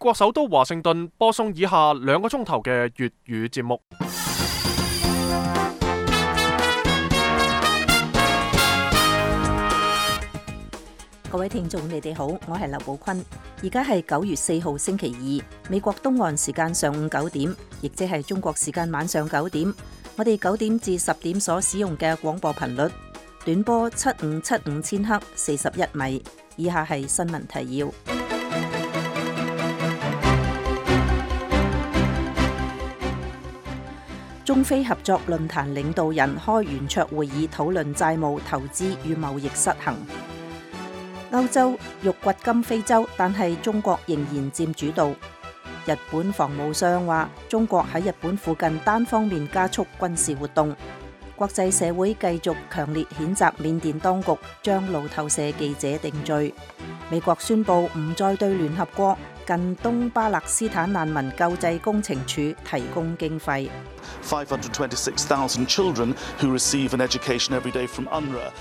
國首都華盛頓播送以下2個鐘頭嘅粵語節目。各位聽眾，你哋好，我係劉寶坤。而家係9月4號星期二，美國東岸時間上午9點，亦即係中國時間晚上9點。我哋9點至10點所使用嘅廣播頻率，短波7575千赫41米。以下係新聞提要。中非合作論壇領導人開圓桌會議，討論債務、投資與貿易失衡。歐洲欲掘金非洲，但係中國仍然佔主導。日本防務相話，中國喺日本附近單方面加速軍事活動。國際社會繼續強烈譴責緬甸當局將路透社記者定罪。美國宣布唔再對聯合國近東巴勒斯坦難民救濟工程處提供經費。526,000 children who receive an education every day from UNRWA。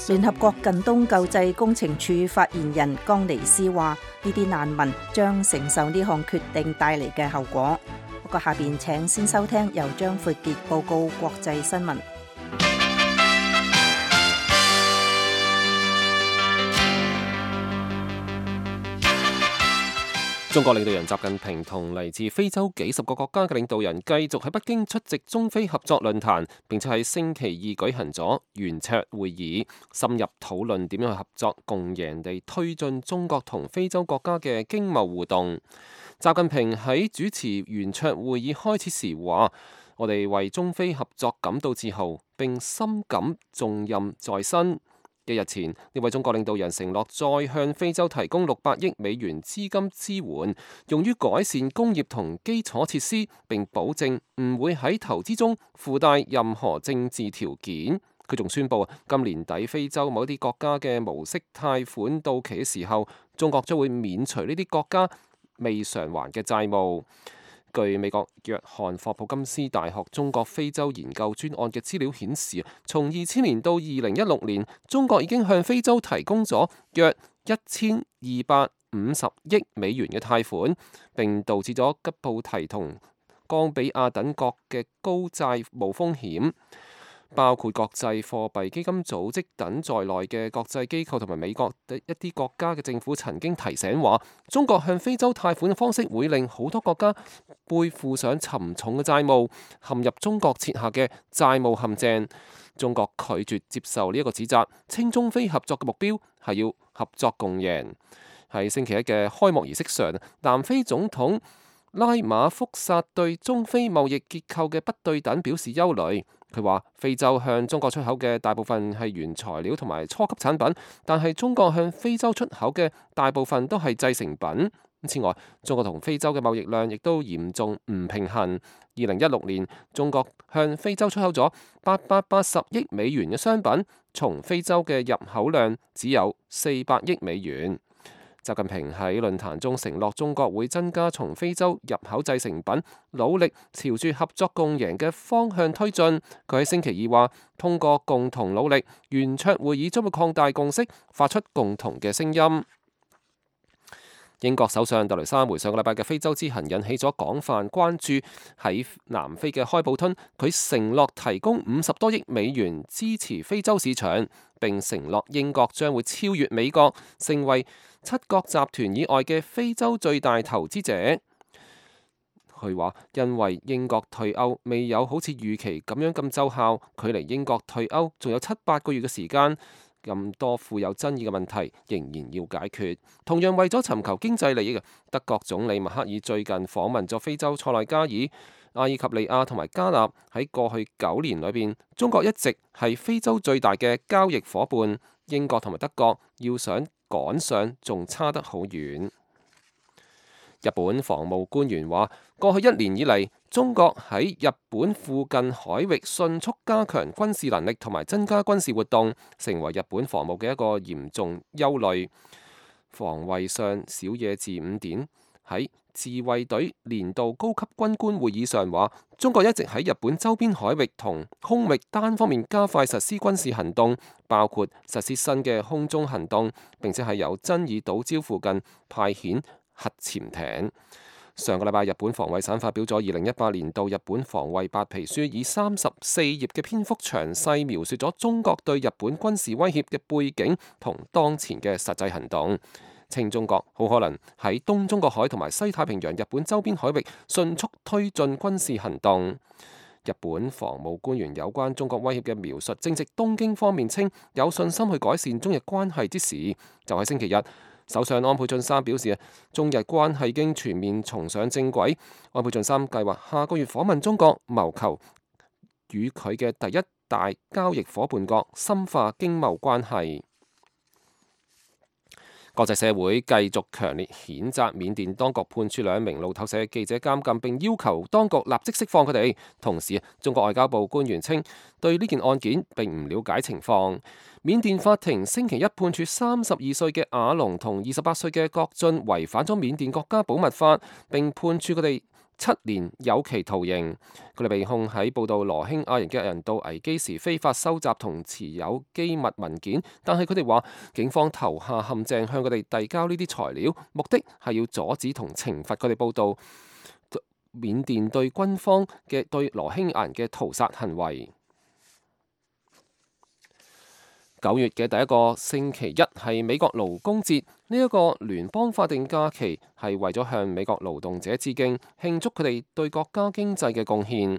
聯合國近東救濟工程處發言人江尼斯話：呢啲難民將承受呢項決定帶嚟嘅後果。不過下邊請先收聽由張闊傑報告國際新聞。中國領導人習近平同嚟自非洲幾十個國家嘅領導人繼續喺北京出席中非合作論壇，並且喺星期二舉行咗圓桌會議，深入討論點樣去合作共贏地推進中國同非洲國家嘅經貿互動。習近平喺主持圓桌會議開始時話：我哋為中非合作感到自豪，並深感重任在身。幾日前，呢位中國領導人承諾再向非洲提供600億美元資金支援，用於改善工業同基礎設施，並保證唔會喺投資中附帶任何政治條件。佢仲宣布，今年底非洲某啲國家嘅無息貸款到期嘅時候，中國將會免除呢啲國家未償還嘅債務。據美國約翰霍普金斯大學中國非洲研究專案嘅資料顯示，從2000年到2016年，中國已經向非洲提供咗約1250億美元嘅貸款，並導致咗吉布提同岡比亞等國嘅高債務風險。包括國際貨幣基金組織等在內嘅國際機構同埋美國一啲國家嘅政府曾經提醒話，中國向非洲貸款嘅方式會令好多國家背負上沉重嘅債務，陷入中國設下嘅債務陷阱。中國拒絕接受呢一個指責，稱中非合作嘅目標係要合作共贏。喺星期一嘅開幕儀式上，南非總統拉馬福薩對中非貿易結構嘅不對等表示憂慮。佢話：非洲向中國出口嘅大部分係原材料同埋初級產品，但係中國向非洲出口嘅大部分都係製成品。此外，中國同非洲嘅貿易量亦都嚴重唔平衡。2016年，中國向非洲出口咗880億美元嘅商品，從非洲嘅入口量只有400億美元。習近平喺論壇中承諾，中國會增加從非洲入口製成品，努力朝住合作共贏嘅方向推進。佢喺星期二話，通過共同努力，圓桌會議將會擴大共識，發出共同嘅聲音。英國首相特雷莎梅上個禮拜嘅非洲之行引起咗廣泛關注。喺南非嘅開普敦，佢承諾提供50多億美元支持非洲市場，並承諾英國將會超越美國，成為七國集團以外嘅非洲最大投資者。佢話，因為英國退歐未有好似預期咁樣咁奏效，距離英國退歐仲有7-8個月嘅時間。咁多富有爭議嘅問題仍然要解決。同樣為咗尋求經濟利益嘅德國總理默克爾最近訪問咗非洲塞內加爾、阿爾及利亞同埋加納。喺過去9年裏邊，中國一直係非洲最大嘅交易伙伴。英國同埋德國要想趕上，仲差得好遠。日本防務官員話，過去1年以嚟，中國喺日本附近海域迅速加強軍事能力同埋增加軍事活動，成為日本防務嘅一個嚴重憂慮。防衛相小野寺五典喺自衛隊年度高級軍官會議上話，中國一直喺日本周邊海域同空域單方面加快實施軍事行動，包括實施新嘅空中行動，並且喺有爭議島礁附近派遣核潛艇。上個禮拜，日本防衛省發表咗2018年度日本防衛白皮書，以34頁嘅篇幅詳細描述咗中國對日本軍事威脅嘅背景同當前嘅實際行動，稱中國好可能喺東中國海同埋西太平洋日本周邊海域迅速推進軍事行動。日本防務官員有關中國威脅嘅描述，正值東京方面稱有信心去改善中日關係之時。就喺星期日，首相安倍晉三表示，中日關係已經全面重上正軌。安倍晉三計劃下個月訪問中國，謀求與佢嘅第一大交易夥伴國深化經貿關係。國際社會繼續強烈譴責緬甸當局判處2名路透社記者監禁，並要求當局立即釋放佢哋。同時，中國外交部官員稱對呢件案件並唔了解情況。緬甸法庭星期一判處32歲嘅阿龍同28歲嘅郭俊違反咗緬甸國家保密法，並判處佢哋7年有期徒刑。佢哋被控喺報道羅興亞人嘅人道危機時非法收集同持有機密文件，但係佢哋話警方投下陷阱向佢哋遞交呢啲材料，目的係要阻止同懲罰佢哋報道緬甸對軍方嘅對羅興亞人嘅屠殺行為。9月嘅第一個星期一係美國勞工節，呢一個聯邦法定假期係為咗向美國勞動者致敬，慶祝佢哋對國家經濟嘅貢獻。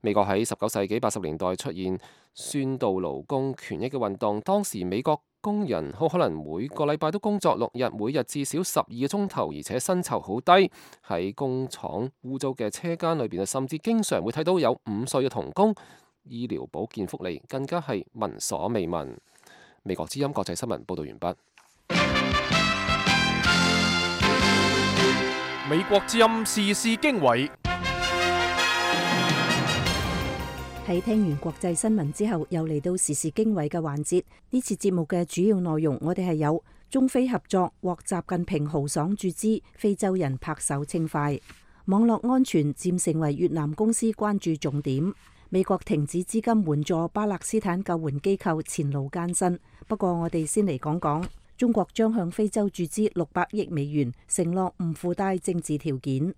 美國喺19世紀80年代出現宣導勞工權益嘅運動，當時美國工人好可能每個禮拜都工作6日，每日至少12個鐘頭，而且薪酬好低。喺工廠污糟嘅車間裏邊，甚至經常會睇到有5歲嘅童工。醫療保健福利更加係聞所未聞。美國之音國際新聞報道完畢。美國之音時事經緯。喺聽完國際新聞之後，又嚟到時事經緯嘅環節。呢次節目嘅主要內容，我哋係有中非合作獲習近平豪爽注資，非洲人拍手稱快；網絡安全漸成為越南公司關注重點。美國停止資金援助巴勒斯坦救援機構前路艱辛。不過我哋先嚟講講，中國將向非洲注資600億美元，承諾唔附帶政治條件。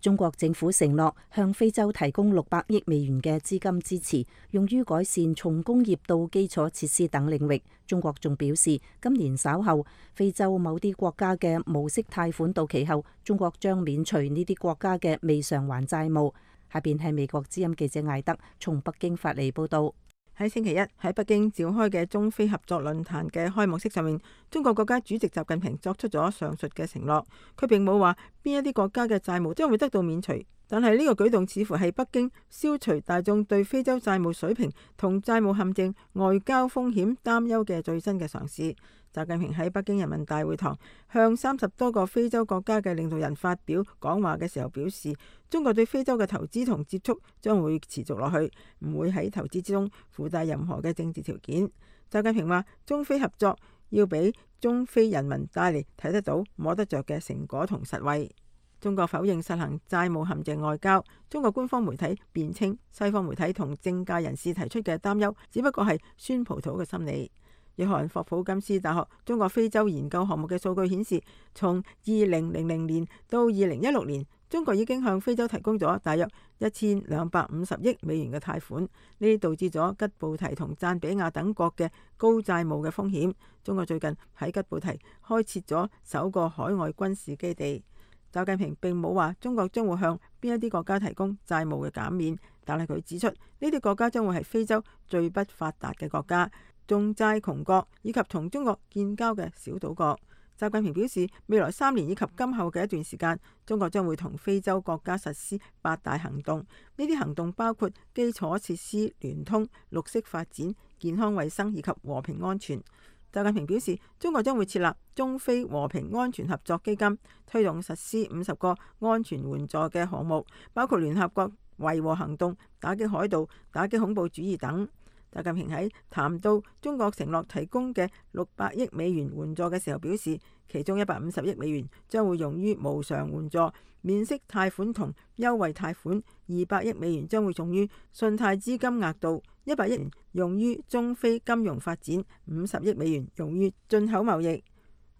中國政府承諾向非洲提供600億美元嘅資金支持，用於改善從工業到基礎設施等領域。中國仲表示，今年稍後非洲某啲國家嘅無息貸款到期後，中國將免除呢啲國家嘅未償還債務。下邊係美國之音記者艾德從北京發嚟報道。喺星期一喺北京召開嘅中非合作論壇嘅開幕式上面，中國國家主席習近平作出咗上述嘅承諾。佢並冇話邊一啲國家嘅債務將會得到免除，但係呢個舉動似乎係北京消除大眾對非洲債務水平同債務陷阱、外交風險擔憂嘅最新嘅嘗試。習近平喺北京人民大會堂向30多個非洲國家嘅領導人發表講話嘅時候表示，中國對非洲嘅投資同接觸將會持續落去，唔會喺投資之中附帶任何嘅政治條件。習近平話，中非合作要俾中非人民帶嚟睇得到、摸得着嘅成果同實惠。中國否認實行債務陷阱外交。中國官方媒體辯稱，西方媒體同政界人士提出嘅擔憂只不過係酸葡萄嘅心理。約翰霍普金斯大學中國非洲研究項目嘅數據顯示，從2000年到2016年，中國已經向非洲提供咗大約1250億美元嘅貸款，呢啲導致咗吉布提同贊比亞等國嘅高債務嘅風險。中國最近喺吉布提開設咗首個海外軍事基地。習近平並冇話中國將會向邊一啲國家提供債務嘅減免，但係佢指出呢啲國家將會係非洲最不發達嘅國家、重債窮國以及同中國建交嘅小島國。習近平表示，未來3年以及今後嘅一段時間，中國將會同非洲國家實施8大行動。呢啲行動包括基礎設施聯通、綠色發展、健康衛生以及和平安全。習近平表示，中國將會設立中非和平安全合作基金，推動實施50個安全援助嘅項目，包括聯合國維和行動、打擊海盜、打擊恐怖主義等。習近平喺談到中國承諾提供嘅600億美元援助嘅時候表示，其中150億美元將會用於無償援助、免息貸款同優惠貸款，200億美元將會用於信貸資金額度，100億元用於中非金融發展，50億美元用於進口貿易。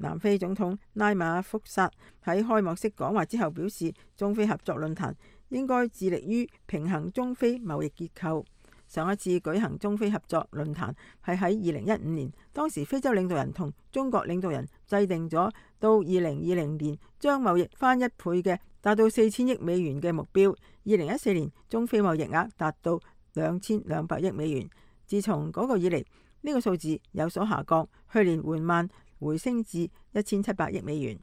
南非總統拉馬福薩喺開幕式講話之後表示，中非合作論壇應該致力於平衡中非貿易結構。上一次舉行中非合作論壇係喺2015年，當時非洲領導人同中國領導人制定咗到2020年將貿易翻1倍嘅達到4000億美元嘅目標。2014年中非貿易額達到2200億美元。自從嗰個以嚟，呢個數字有所下降，去年緩慢回升至1700億美元。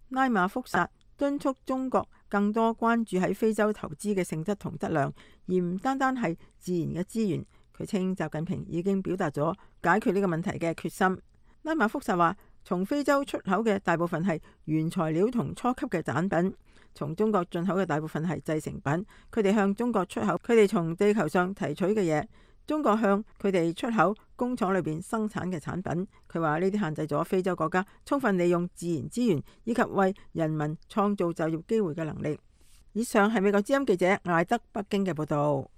拉馬福薩敦促中國更多關注喺非洲投資嘅性質同質量，而唔單單係自然嘅資源。佢稱習近平已經表達咗解決呢個問題嘅決心。拉馬福薩話，從非洲出口嘅大部分係原材料同初級嘅產品，從中國進口嘅大部分係製成品。佢哋向中國出口佢哋從地球上提取嘅嘢，中國向佢哋出口工廠裏邊生產嘅產品。佢話呢啲限制咗非洲國家充分利用自然資源以及為人民創造就業機會嘅能力。以上係美國之音記者艾德北京嘅報道。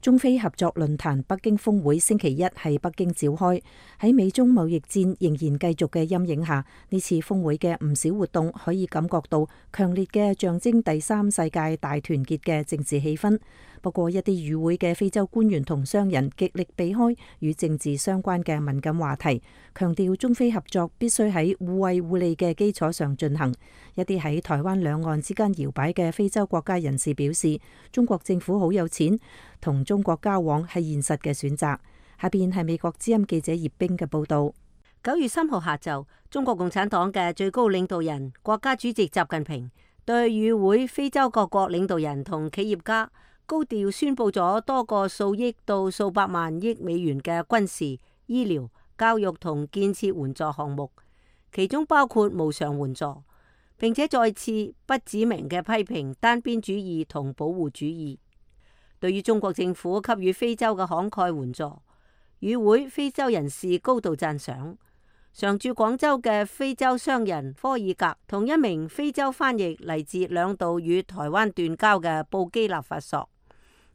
中非合作論壇北京峰會星期一喺北京召開，喺美中貿易戰仍然繼續嘅陰影下，呢次峰會嘅唔少活動可以感覺到強烈嘅象徵第三世界大團結嘅政治氣氛。不過一啲與會嘅非洲官員同商人極力避開與政治相關嘅敏感話題，強調中非合作必須喺互惠互利嘅基礎上進行。一啲喺台灣兩岸之間搖擺嘅非洲國家人士表示，中國政府好有錢，同中國交往係現實嘅選擇。下邊係美國之音記者葉冰嘅報道。9月3號下晝，中國共產黨嘅最高領導人、國家主席習近平對與會非洲各國領導人同企業家高調宣布咗多個數億到數百萬億美元嘅軍事、醫療、教育同建設援助項目，其中包括無償援助，並且再次不指名嘅批評單邊主義同保護主義。對於中國政府給予非洲嘅慷慨援助，與會非洲人士高度讚賞。常駐廣州嘅非洲商人科爾格同一名非洲翻譯嚟自兩度與台灣斷交嘅布基納法索，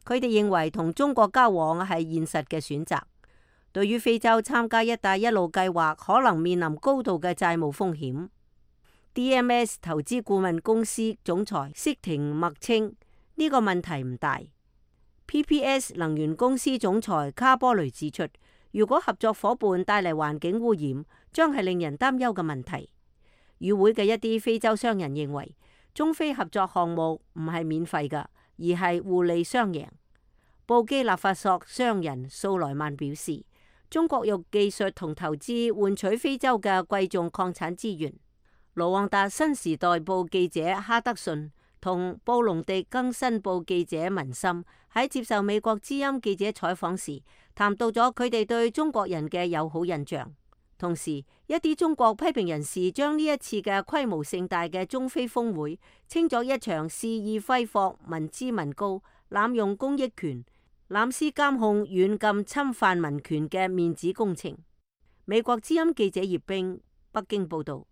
佢哋認為同中國交往係現實嘅選擇。對於非洲參加一帶一路計劃可能面臨高度嘅債務風險，DMS 投資顧問公司總裁釋廷默稱呢個問題唔大。PPS 能源公司總裁卡波雷指出，如果合作伙伴帶嚟環境污染，將係令人擔憂嘅問題。與會嘅一啲非洲商人認為，中非合作項目唔係免費㗎，而係互利雙贏。布基納法索商人蘇萊曼表示，中國用技術同投資換取非洲嘅貴重礦產資源。盧旺達新時代報記者哈德遜同布隆迪更新報記者文森喺接受美國之音記者採訪時，談到咗佢哋對中國人嘅友好印象。同時，一啲中國批評人士將呢一次嘅規模盛大嘅中非峰會稱作一場肆意揮霍、民脂民膏、濫用公益權、濫施監控、軟禁侵犯民權嘅面子工程。美國之音記者葉冰，北京報道。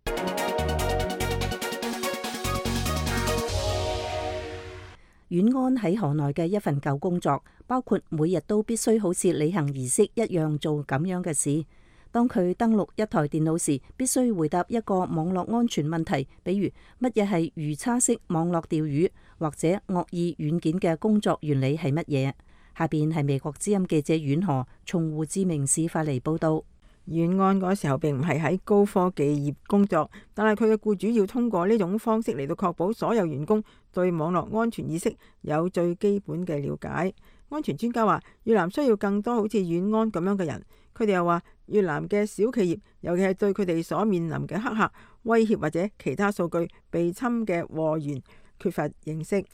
阮安喺河內嘅一份舊工作，包括每日都必須好似履行儀式一樣做咁樣嘅事。當佢登錄一台電腦時，必須回答一個網絡安全問題，比如乜嘢係魚叉式網絡釣魚，或者惡意軟件嘅工作原理係乜嘢。下邊係美國之音記者阮河從胡志明市發嚟報道。阮安嗰時候並唔係喺高科技業工作，但係佢嘅僱主要通過呢種方式嚟到確保所有員工對網絡安全意識有最基本嘅了解。安全專家話，越南需要更多好似阮安咁樣嘅人。佢哋又話，越南嘅小企業，尤其係對佢哋所面臨嘅黑客威脅或者其他數據被侵嘅禍源缺乏認識。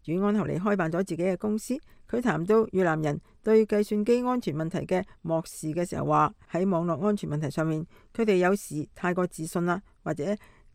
阮安後嚟開辦咗自己嘅公司。佢談到越南人對計算機安全問題嘅漠視嘅時候，話喺網絡安全問題上面，佢哋有時太過自信啦，或者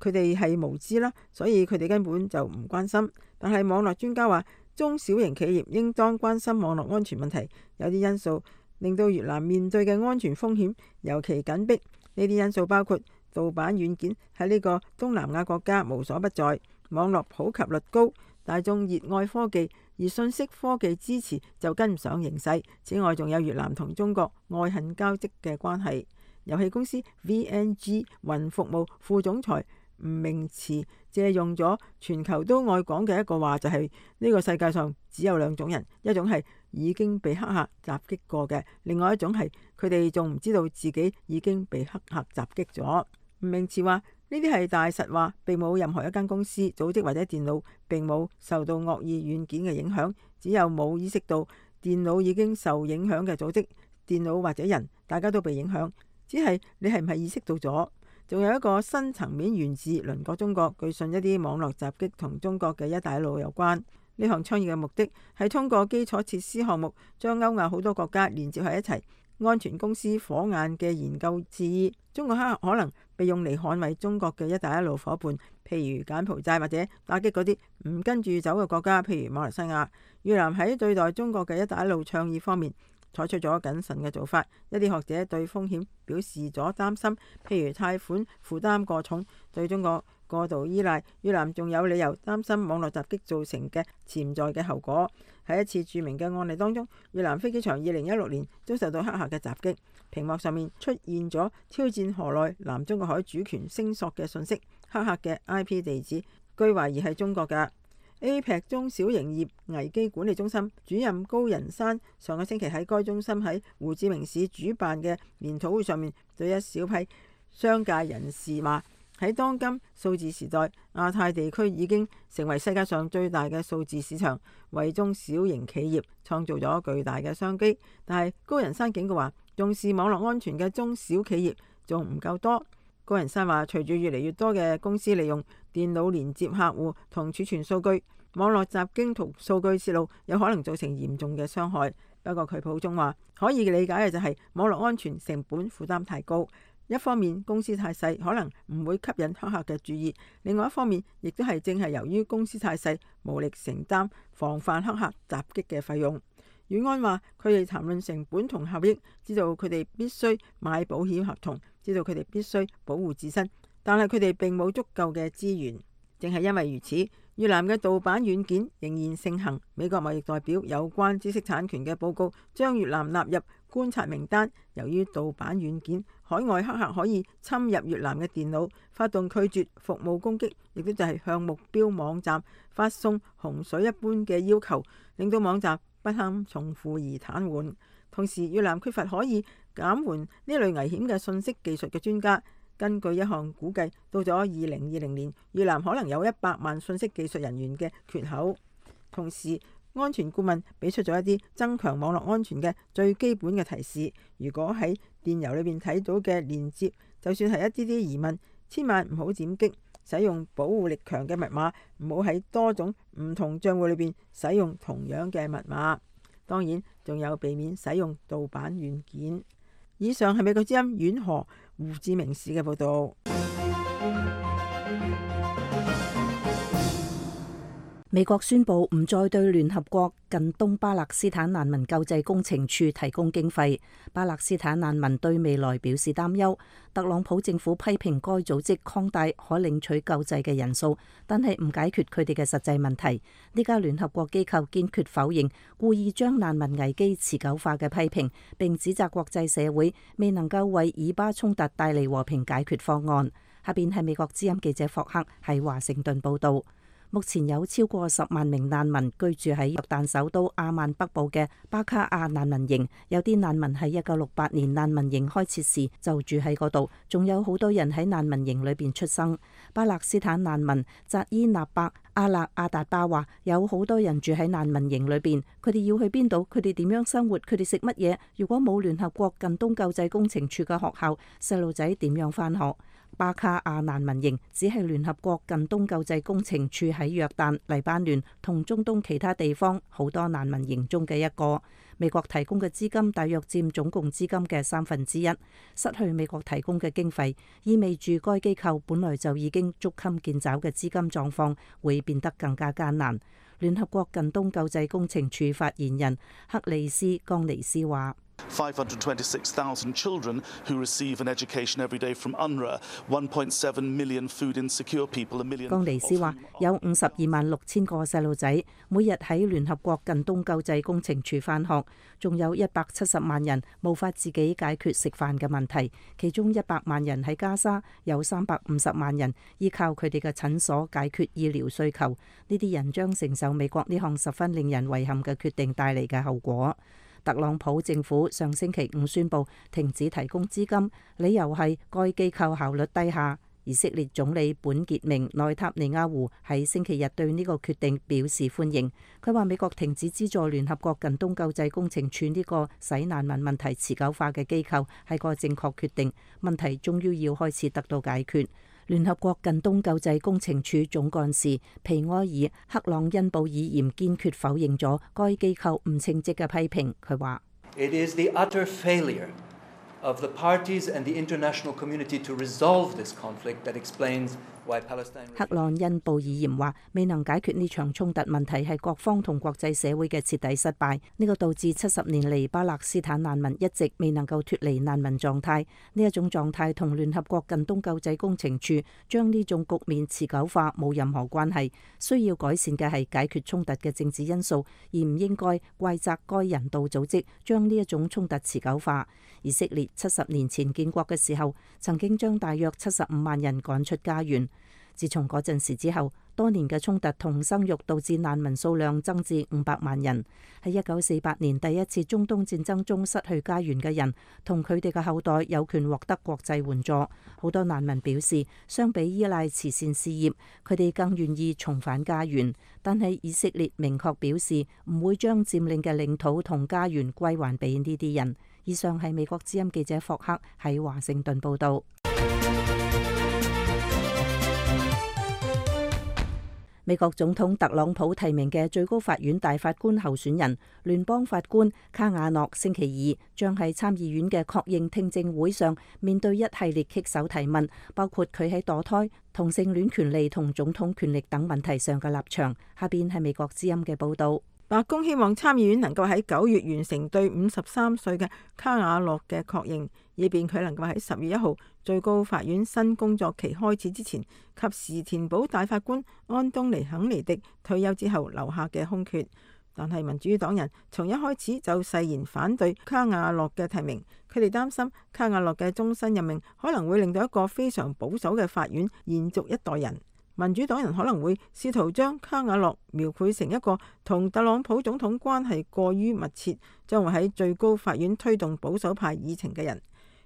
佢哋係無知啦，所以佢哋根本就唔關心。但係網絡專家話，中小型企業應當關心網絡安全問題。有啲因素令到越南面對嘅安全風險尤其緊迫。呢啲因素包括盜版軟件喺呢個東南亞國家無所不在，網絡普及率高，大眾熱愛科技，而信息科技支持就跟唔上形勢。此外，仲有越南同中國愛恨交織嘅關係。遊戲公司 VNG 雲服務副總裁吳明慈借用咗全球都愛講嘅一個話，就係呢個世界上只有兩種人，一種係已經被黑客襲擊過嘅，另外一種係佢哋仲唔知道自己已經被黑客襲擊咗。吳明慈話呢啲係大實話，並冇任何一間公司、組織或者電腦並冇受到惡意軟件嘅影響，只有冇意識到電腦已經受影響嘅組織、電腦或者人，大家都被影響，只係你係唔係意識到咗？仲有一個新層面源自鄰國中國，據信一啲網絡襲擊同中國嘅一帶一路有關。呢項倡議嘅目的係通過基礎設施項目將歐亞好多國家連接喺一齊。安全公司火眼嘅研究示意，中國黑客可能被用嚟捍衛中國嘅一帶一路伙伴，譬如柬埔寨，或者打擊嗰啲唔跟住走嘅國家，譬如馬來西亞。越南喺對待中國嘅一帶一路倡議方面採取咗謹慎嘅做法，一啲學者對風險表示咗擔心，譬如貸款負擔過重，對中國過度依賴。越南仲有理由擔心網絡襲擊造成嘅潛在嘅後果。喺一次著名嘅案例當中，越南飛機場2016年遭受到黑客嘅襲擊，屏幕上面出現咗挑戰河內南中國海主權聲索嘅信息，黑客嘅 IP 地址據懷疑係中國嘅。APEC 中小營業危機管理中心主任高仁山上個星期喺該中心喺胡志明市主辦嘅研討會上面，對一小批商界人士話：喺當今數字時代，亞太地區已經成為世界上最大嘅數字市場，為中小型企業創造咗巨大嘅商機。但係高仁山警告話，重視網絡安全嘅中小企業仲唔夠多。高仁山話，隨住越嚟越多嘅公司利用電腦連接客戶同儲存數據，網絡襲擊同數據泄露有可能造成嚴重嘅傷害。不過佢補充話，可以理解嘅就係網絡安全成本負擔太高。一方面公司太細，可能唔會吸引黑客嘅注意；另外一方面，亦都係正係由於公司太細，無力承擔防範黑客襲擊嘅費用。遠安話，佢哋談論成本同效益，知道佢哋必須買保險合同，知道佢哋必須保護自身，但係佢哋並冇足夠嘅資源。正係因為如此，越南嘅盜版軟件仍然盛行。美國貿易代表有關知識產權嘅報告將越南納入觀察名單。由於盜版軟件，海外黑客可以侵入越南嘅電腦，發動拒絕服務攻擊，亦都就係向目標網站發送洪水一般嘅要求，令到網站不堪重負而癱瘓。同時，越南缺乏可以減緩呢類危險嘅信息技術嘅專家。根據一項估計，到咗2020年，越南可能有100萬信息技術人員嘅缺口。同時，安全顧問俾出咗一啲增強網絡安全嘅最基本嘅提示。如果喺電郵裏邊睇到嘅連接，就算係一啲疑問，千萬唔好點擊。使用保護力強嘅密碼，唔好喺多種唔同賬戶裏邊使用同樣嘅密碼。當然，仲有避免使用盜版軟件。以上係美國之音遠河胡志明市嘅報導。美國宣布唔再對聯合國近東巴勒斯坦難民救濟工程處提供經費。巴勒斯坦難民對未來表示擔憂。特朗普政府批評該組織擴大可領取救濟嘅人數，但係唔解決佢哋嘅實際問題。呢家聯合國機構堅決否認故意將難民危機持久化嘅批評，並指責國際社會未能夠為以巴衝突帶嚟和平解決方案。下邊係美國之音記者霍克喺華盛頓報導。目前有超過10萬名難民居住喺約旦首都阿曼北部嘅巴卡亞難民營，有啲難民喺1968年難民營開設時就住喺嗰度，仲有好多人喺難民營裏邊出生。巴勒斯坦難民扎伊納伯阿勒阿達巴話，有好多人住喺難民營裏邊，佢哋要去邊度？佢哋點樣生活？佢哋食乜嘢？如果冇聯合國近東救濟工程處嘅學校，細路仔點樣返學？巴卡亞難民營只係聯合國近東救濟工程處喺約旦、黎巴嫩同中東其他地方好多難民營中嘅一個。美國提供嘅資金大約佔總共資金嘅1/3。失去美國提供嘅經費，意味住該機構本來就已經捉襟見肘嘅資金狀況會變得更加艱難。聯合國近東救濟工程處發言人克里斯岡尼斯話： 526,000 children who receive an education every day from UNRWA, 1.7 million food insecure people, 1 million。江尼斯話有526000個細路仔每日喺聯合國近東救濟工程處返學，仲有170萬人無法自己解決食飯嘅問題，其中100萬人喺加沙，有350萬人依靠佢哋嘅診所解決醫療需求。呢啲人將承受美國呢項十分令人遺憾嘅決定帶嚟嘅後果。特朗普政府上星期5宣布停止提供資金，理由係該機構效率低下。以色列總理本傑明內塔尼亞胡喺星期日對呢個決定表示歡迎。佢話美國停止資助聯合國近東救濟工程處呢個使難民問題持久化嘅機構係個正確決定，問題終於要開始得到解決。聯合國近東救濟工程處總幹事皮埃爾克朗恩布爾嚴堅決否認咗該機構唔稱職嘅批評。佢話：It is the utter failure of the parties and the international community to resolve this conflict that explains why Palestine。克朗恩布爾嚴話：未能解決呢場衝突問題係各方同國際社會嘅徹底失敗，呢個導致70年嚟巴勒斯坦難民一直未能夠脫離難民狀態。呢一種狀態同聯合國近東救濟工程處將呢種局面持久化冇任何關係。需要改善嘅係解決衝突嘅政治因素，而唔應該怪責該人道組織將呢一種衝突持久化。以色列70年前建國嘅時候，曾經將大約75萬人趕出家園。自從嗰陣時之後，多年嘅衝突同生育導致難民數量增至500萬人。喺1948年第一次中東戰爭中失去家園嘅人同佢哋嘅後代有權獲得國際援助。好多難民表示，相比依賴慈善事業，佢哋更願意重返家園。但係以色列明確表示唔會將佔領嘅領土同家園歸還俾呢啲人。以上係美國之音記者霍克喺華盛頓報導。美國總統特朗普提名嘅最高法院大法官候選人聯邦法官卡瓦諾星期二將喺參議院嘅確認聽證會上面對一系列棘手提問，包括佢喺墮胎、同性戀權利同總統權力等問題上嘅立場。下邊係美國之音嘅報導。白宮希望參議院能夠喺9月完成對53歲嘅卡瓦諾嘅確認，以便佢能夠喺10月1號最高法院新工作期開始之前，及時填補大法官安東尼肯尼迪退休之後留下嘅空缺。但係民主黨人從一開始就誓言反對卡瓦諾嘅提名，佢哋擔心卡瓦諾嘅終身任命可能會令到一個非常保守嘅法院延續一代人。民主黨人可能會試圖將卡瓦諾描繪成一個同特朗普總統關係過於密切，將會喺最高法院推動保守派議程嘅人。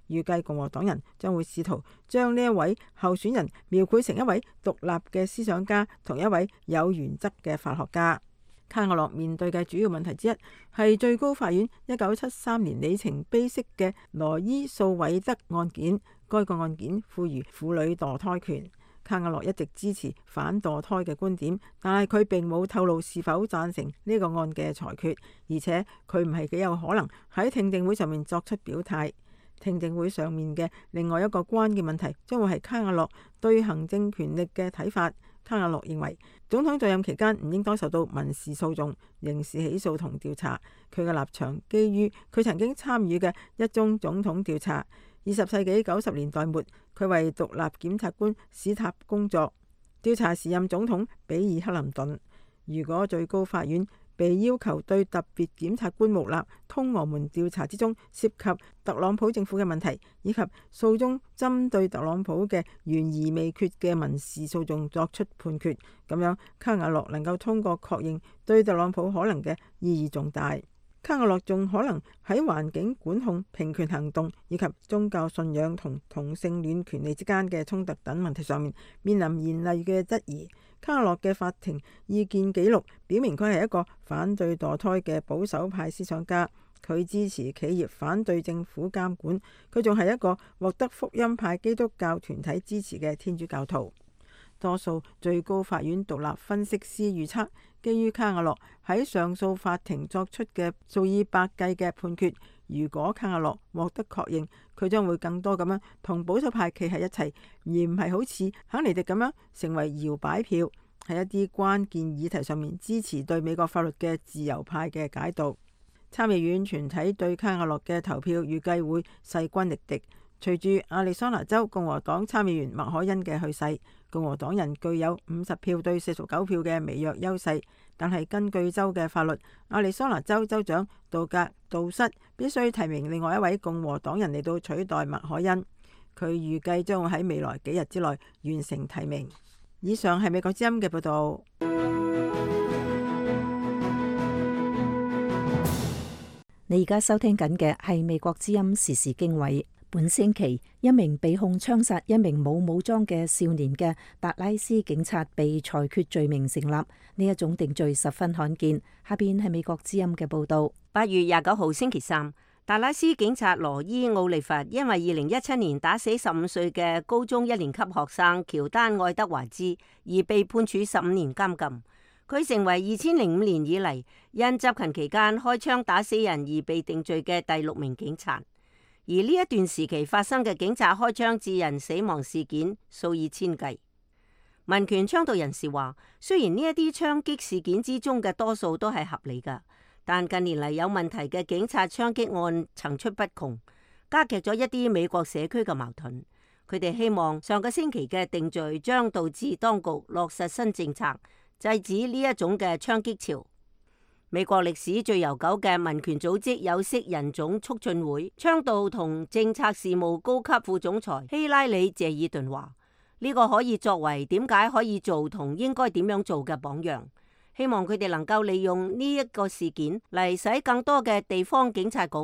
預計共和黨人將會試圖將呢一位候選人描繪成一位獨立嘅思想家同一位有原則嘅法學家。卡瓦諾面對嘅主要問題之一係最高法院1973年里程碑式嘅羅伊訴韋德案件，該個案件賦予婦女墮胎權。卡瓦諾一直支持反墮胎嘅觀點，但係佢並冇透露是否贊成呢個案嘅裁決，而且佢唔係幾有可能喺聽證會上面作出表態。聽證會上面嘅另外一個關鍵問題將會係卡瓦諾對行政權力嘅睇法。卡瓦諾認為總統在任期間唔應該受到民事訴訟、刑事起訴同調查。佢嘅立場基於佢曾經參與嘅一宗總統調查。20世紀90年代末，佢為獨立檢察官史塔工作，調查時任總統比爾克林頓。如果最高法院被要求對特別檢察官穆勒通俄門調查之中涉及特朗普政府嘅問題，以及訴中針對特朗普嘅懸而未決嘅民事訴訟作出判決，咁樣卡瓦諾能夠通過確認對特朗普可能嘅意義重大。卡瓦諾仲可能喺環境管控、平權行動以及宗教信仰同同性戀權利之間嘅衝突等問題上面面臨嚴厲嘅質疑。卡瓦諾嘅法庭意見記錄表明佢係一個反對墮胎嘅保守派思想家，佢支持企業反對政府監管，佢仲係一個獲得福音派基督教團體支持嘅天主教徒。多數最高法院獨立分析師預測，基於卡瓦諾喺上訴法庭作出嘅數以百計嘅判決，如果卡瓦諾獲得確認，佢將會更多咁樣同保守派企喺一齊，而唔係好似肯尼迪咁樣成為搖擺票，喺一啲關鍵議題上面支持對美國法律嘅自由派嘅解讀。參議院全體對卡瓦諾嘅投票預計會勢均力敵。隨住亞利桑那州共和黨參議員麥凱恩嘅去世，共和黨人具有50票對49票嘅微弱優勢。但係根據州嘅法律，亞利桑那州州長杜瑟必須提名另外一位共和黨人嚟到取代麥凱恩。佢預計將會喺未來幾日之內完成提名。以上係美國之音嘅報道。你而家收聽緊嘅係美國之音時事經緯。本星期，一名被控槍殺一名冇武裝嘅少年嘅達拉斯警察被裁決罪名成立，呢一種定罪十分罕見。下邊係美國之音嘅報道。8月29號星期三，達拉斯警察羅伊奧利弗因為2017年打死15歲嘅高中1年級學生喬丹愛德華茲而被判處15年監禁。佢成為2005年以嚟因執勤期間開槍打死人而被定罪嘅第6名警察。而呢一段時期發生嘅警察開槍致人死亡事件數以千計。民權倡導人士話，雖然呢一啲槍擊事件之中嘅多數都係合理㗎，但近年嚟有問題嘅警察槍擊案層出不窮，加劇咗一啲美國社區嘅矛盾。佢哋希望上個星期嘅定罪將導致當局落實新政策，制止呢一種嘅槍擊潮。美國歷史最悠久嘅民權組織有色人種促進會倡導同政策事務高級副總裁希拉里謝爾頓話：呢個可以作為點解可以做同應該點樣做嘅榜樣。希望佢哋能夠利用呢一個事件嚟使更多嘅地方警察局、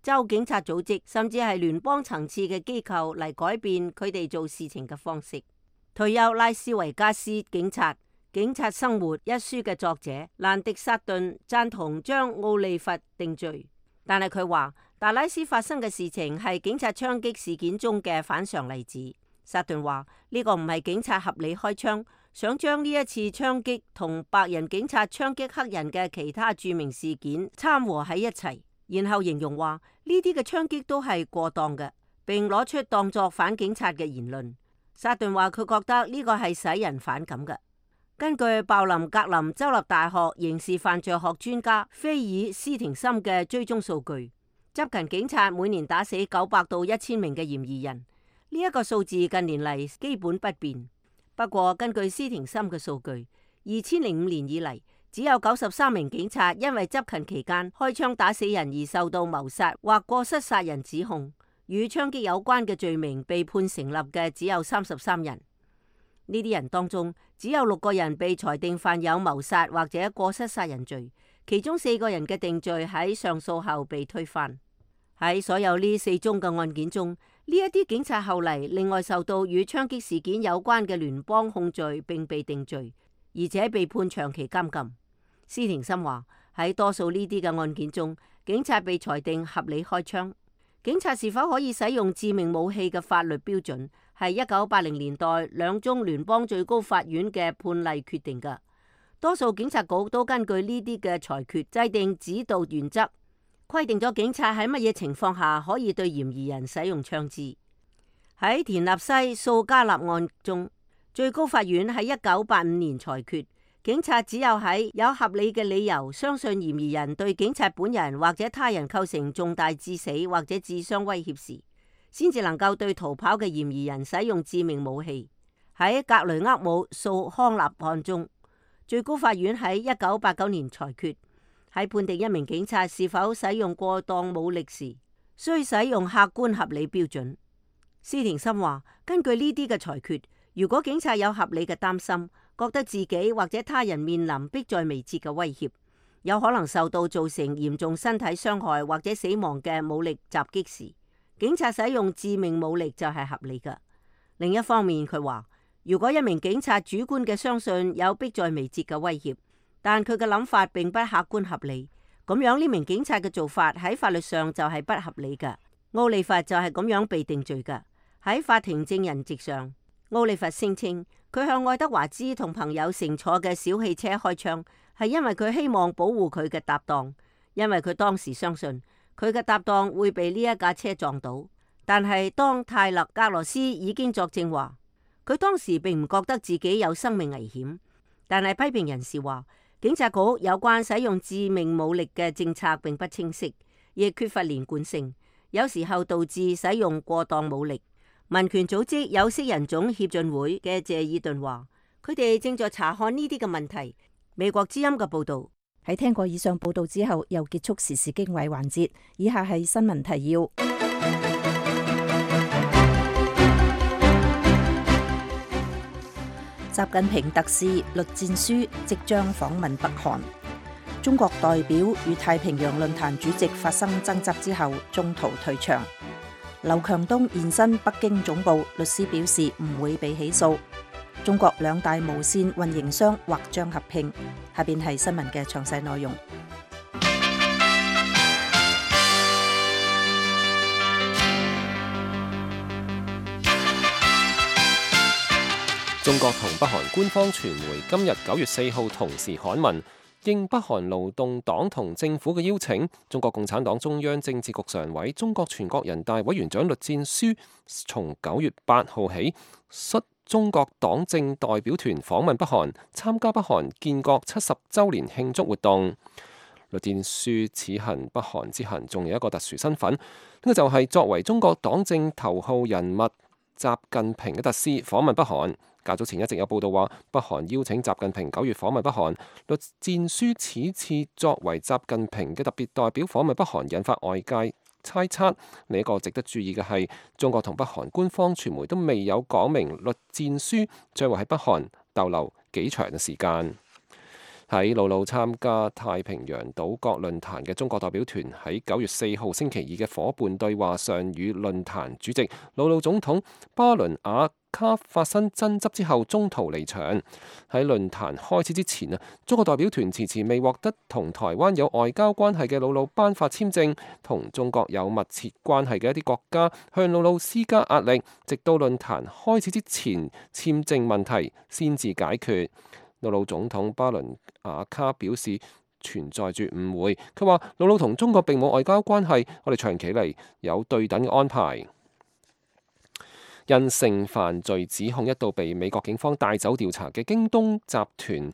州警察組織，甚至係聯邦層次嘅機構嚟改變佢哋做事情嘅方式。退休拉斯維加斯警察生活一書嘅作者蘭迪薩頓贊同將奧利弗定罪，但係佢話達拉斯發生嘅事情係警察槍擊事件中嘅反常例子。薩頓話呢個唔係警察合理開槍，想將呢一次槍擊同白人警察槍擊黑人嘅其他著名事件摻和喺一齊，然後形容話呢啲嘅槍擊都係過當嘅，並攞出當作反警察嘅言論。薩頓話佢覺得呢個係使人反感嘅。根據鮑林格林州立大學刑事犯罪學專家菲爾斯廷森嘅追蹤數據，執勤警察每年打死900到1000名嘅嫌疑人，呢一個數字近年嚟基本不變。不過根據斯廷森嘅數據，2005年以嚟只有93名警察因為執勤期間開槍打死人而受到謀殺或過失殺人指控，與槍擊有關嘅罪名被判成立嘅只有33人。呢啲人當中，只有6個人被裁定犯有謀殺或者過失殺人罪，其中4個人嘅定罪喺上訴後被推翻。喺所有呢4宗嘅案件中，呢一啲警察後嚟另外受到與槍擊事件有關嘅聯邦控罪並被定罪，而且被判長期監禁。斯廷森話喺多數呢啲嘅案件中，警察被裁定合理開槍。警察是否可以使用致命武器嘅法律標準，係1980年代2宗聯邦最高法院嘅判例決定㗎。多數警察局都根據呢啲嘅裁決制定指導原則，規定咗警察喺乜嘢情況下可以對嫌疑人使用槍支。喺田納西素加納案中，最高法院喺1985年裁決，警察只有喺有合理嘅理由相信嫌疑人對警察本人或者他人構成重大致死或者致傷威脅時，先至能夠對逃跑嘅嫌疑人使用致命武器。喺格雷厄姆訴康納案中，最高法院喺1989年裁決，喺判定一名警察是否使用過當武力時，需使用客觀合理標準。斯廷森話，根據呢啲嘅裁決，如果警察有合理嘅擔心，覺得自己或者他人面臨迫在眉睫嘅威脅，有可能受到造成嚴重身體傷害或者死亡嘅武力襲擊時，警察使用致命武力就係合理㗎。另一方面，佢話，如果一名警察主觀嘅相信有迫在眉睫嘅威脅，但佢嘅諗法並不客觀合理，咁樣呢名警察嘅做法喺法律上就係不合理㗎。奧利弗就係咁樣被定罪㗎。喺法庭證人席上，奧利弗聲稱佢向愛德華茲同朋友乘坐嘅小汽車開槍，係因為佢希望保護佢嘅搭檔，因為佢當時相信佢嘅搭檔會被呢一架車撞到。但係當泰勒格羅斯已經作證話，佢當時並唔覺得自己有生命危險。但係批評人士話，警察局有關使用致命武力嘅政策並不清晰，亦缺乏連貫性，有時候導致使用過當武力。民權組織有色人種協進會嘅謝爾頓話，佢哋正在查看呢啲嘅問題。美國之音嘅報導。喺聽過以上報道之後，又結束時事經緯環節。以下係新聞提要。習近平特使栗戰書即將訪問北韓。中國代表與太平洋論壇主席發生爭執之後，中途退場。劉強東現身北京總部，律師表示唔會被起訴。中國兩大無線運營商或將合併。下邊係新聞嘅詳細內容。中國同北韓官方傳媒今日9月4號同時刊文，應北韓勞動黨同政府嘅邀請，中國共產黨中央政治局常委、中國全國人大委員長栗戰書從9月8號起率中國黨政代表團訪問北韓，參加北韓建國70週年慶祝活動。栗戰書此行北韓之行仲有一個特殊身份，呢個就係作為中國黨政頭號人物習近平嘅特使訪問北韓。較早前一直有報道話，北韓邀請習近平9月訪問北韓。栗戰書此次作為習近平嘅特別代表訪問北韓，引發外界猜測。另一個值得注意嘅係，中國同北韓官方傳媒都未有講明栗戰書將會喺北韓逗留幾長嘅時間。喺魯魯參加太平洋島國論壇嘅中國代表團喺9月4號星期二嘅夥伴對話上，與論壇主席魯魯總統巴倫雅卡發生爭執之後，中途離場。喺論壇開始之前中國代表團遲遲未獲得同台灣有外交關係嘅魯魯頒發簽證，同中國有密切關係嘅一啲國家向魯魯施加壓力，直到論壇開始之前，簽證問題先至解決。魯魯總統巴倫雅卡表示存在住誤會，佢話魯魯同中國並冇外交關係，我哋長期嚟有對等嘅安排。因性犯罪指控一度被美國警方帶走調查嘅京東集團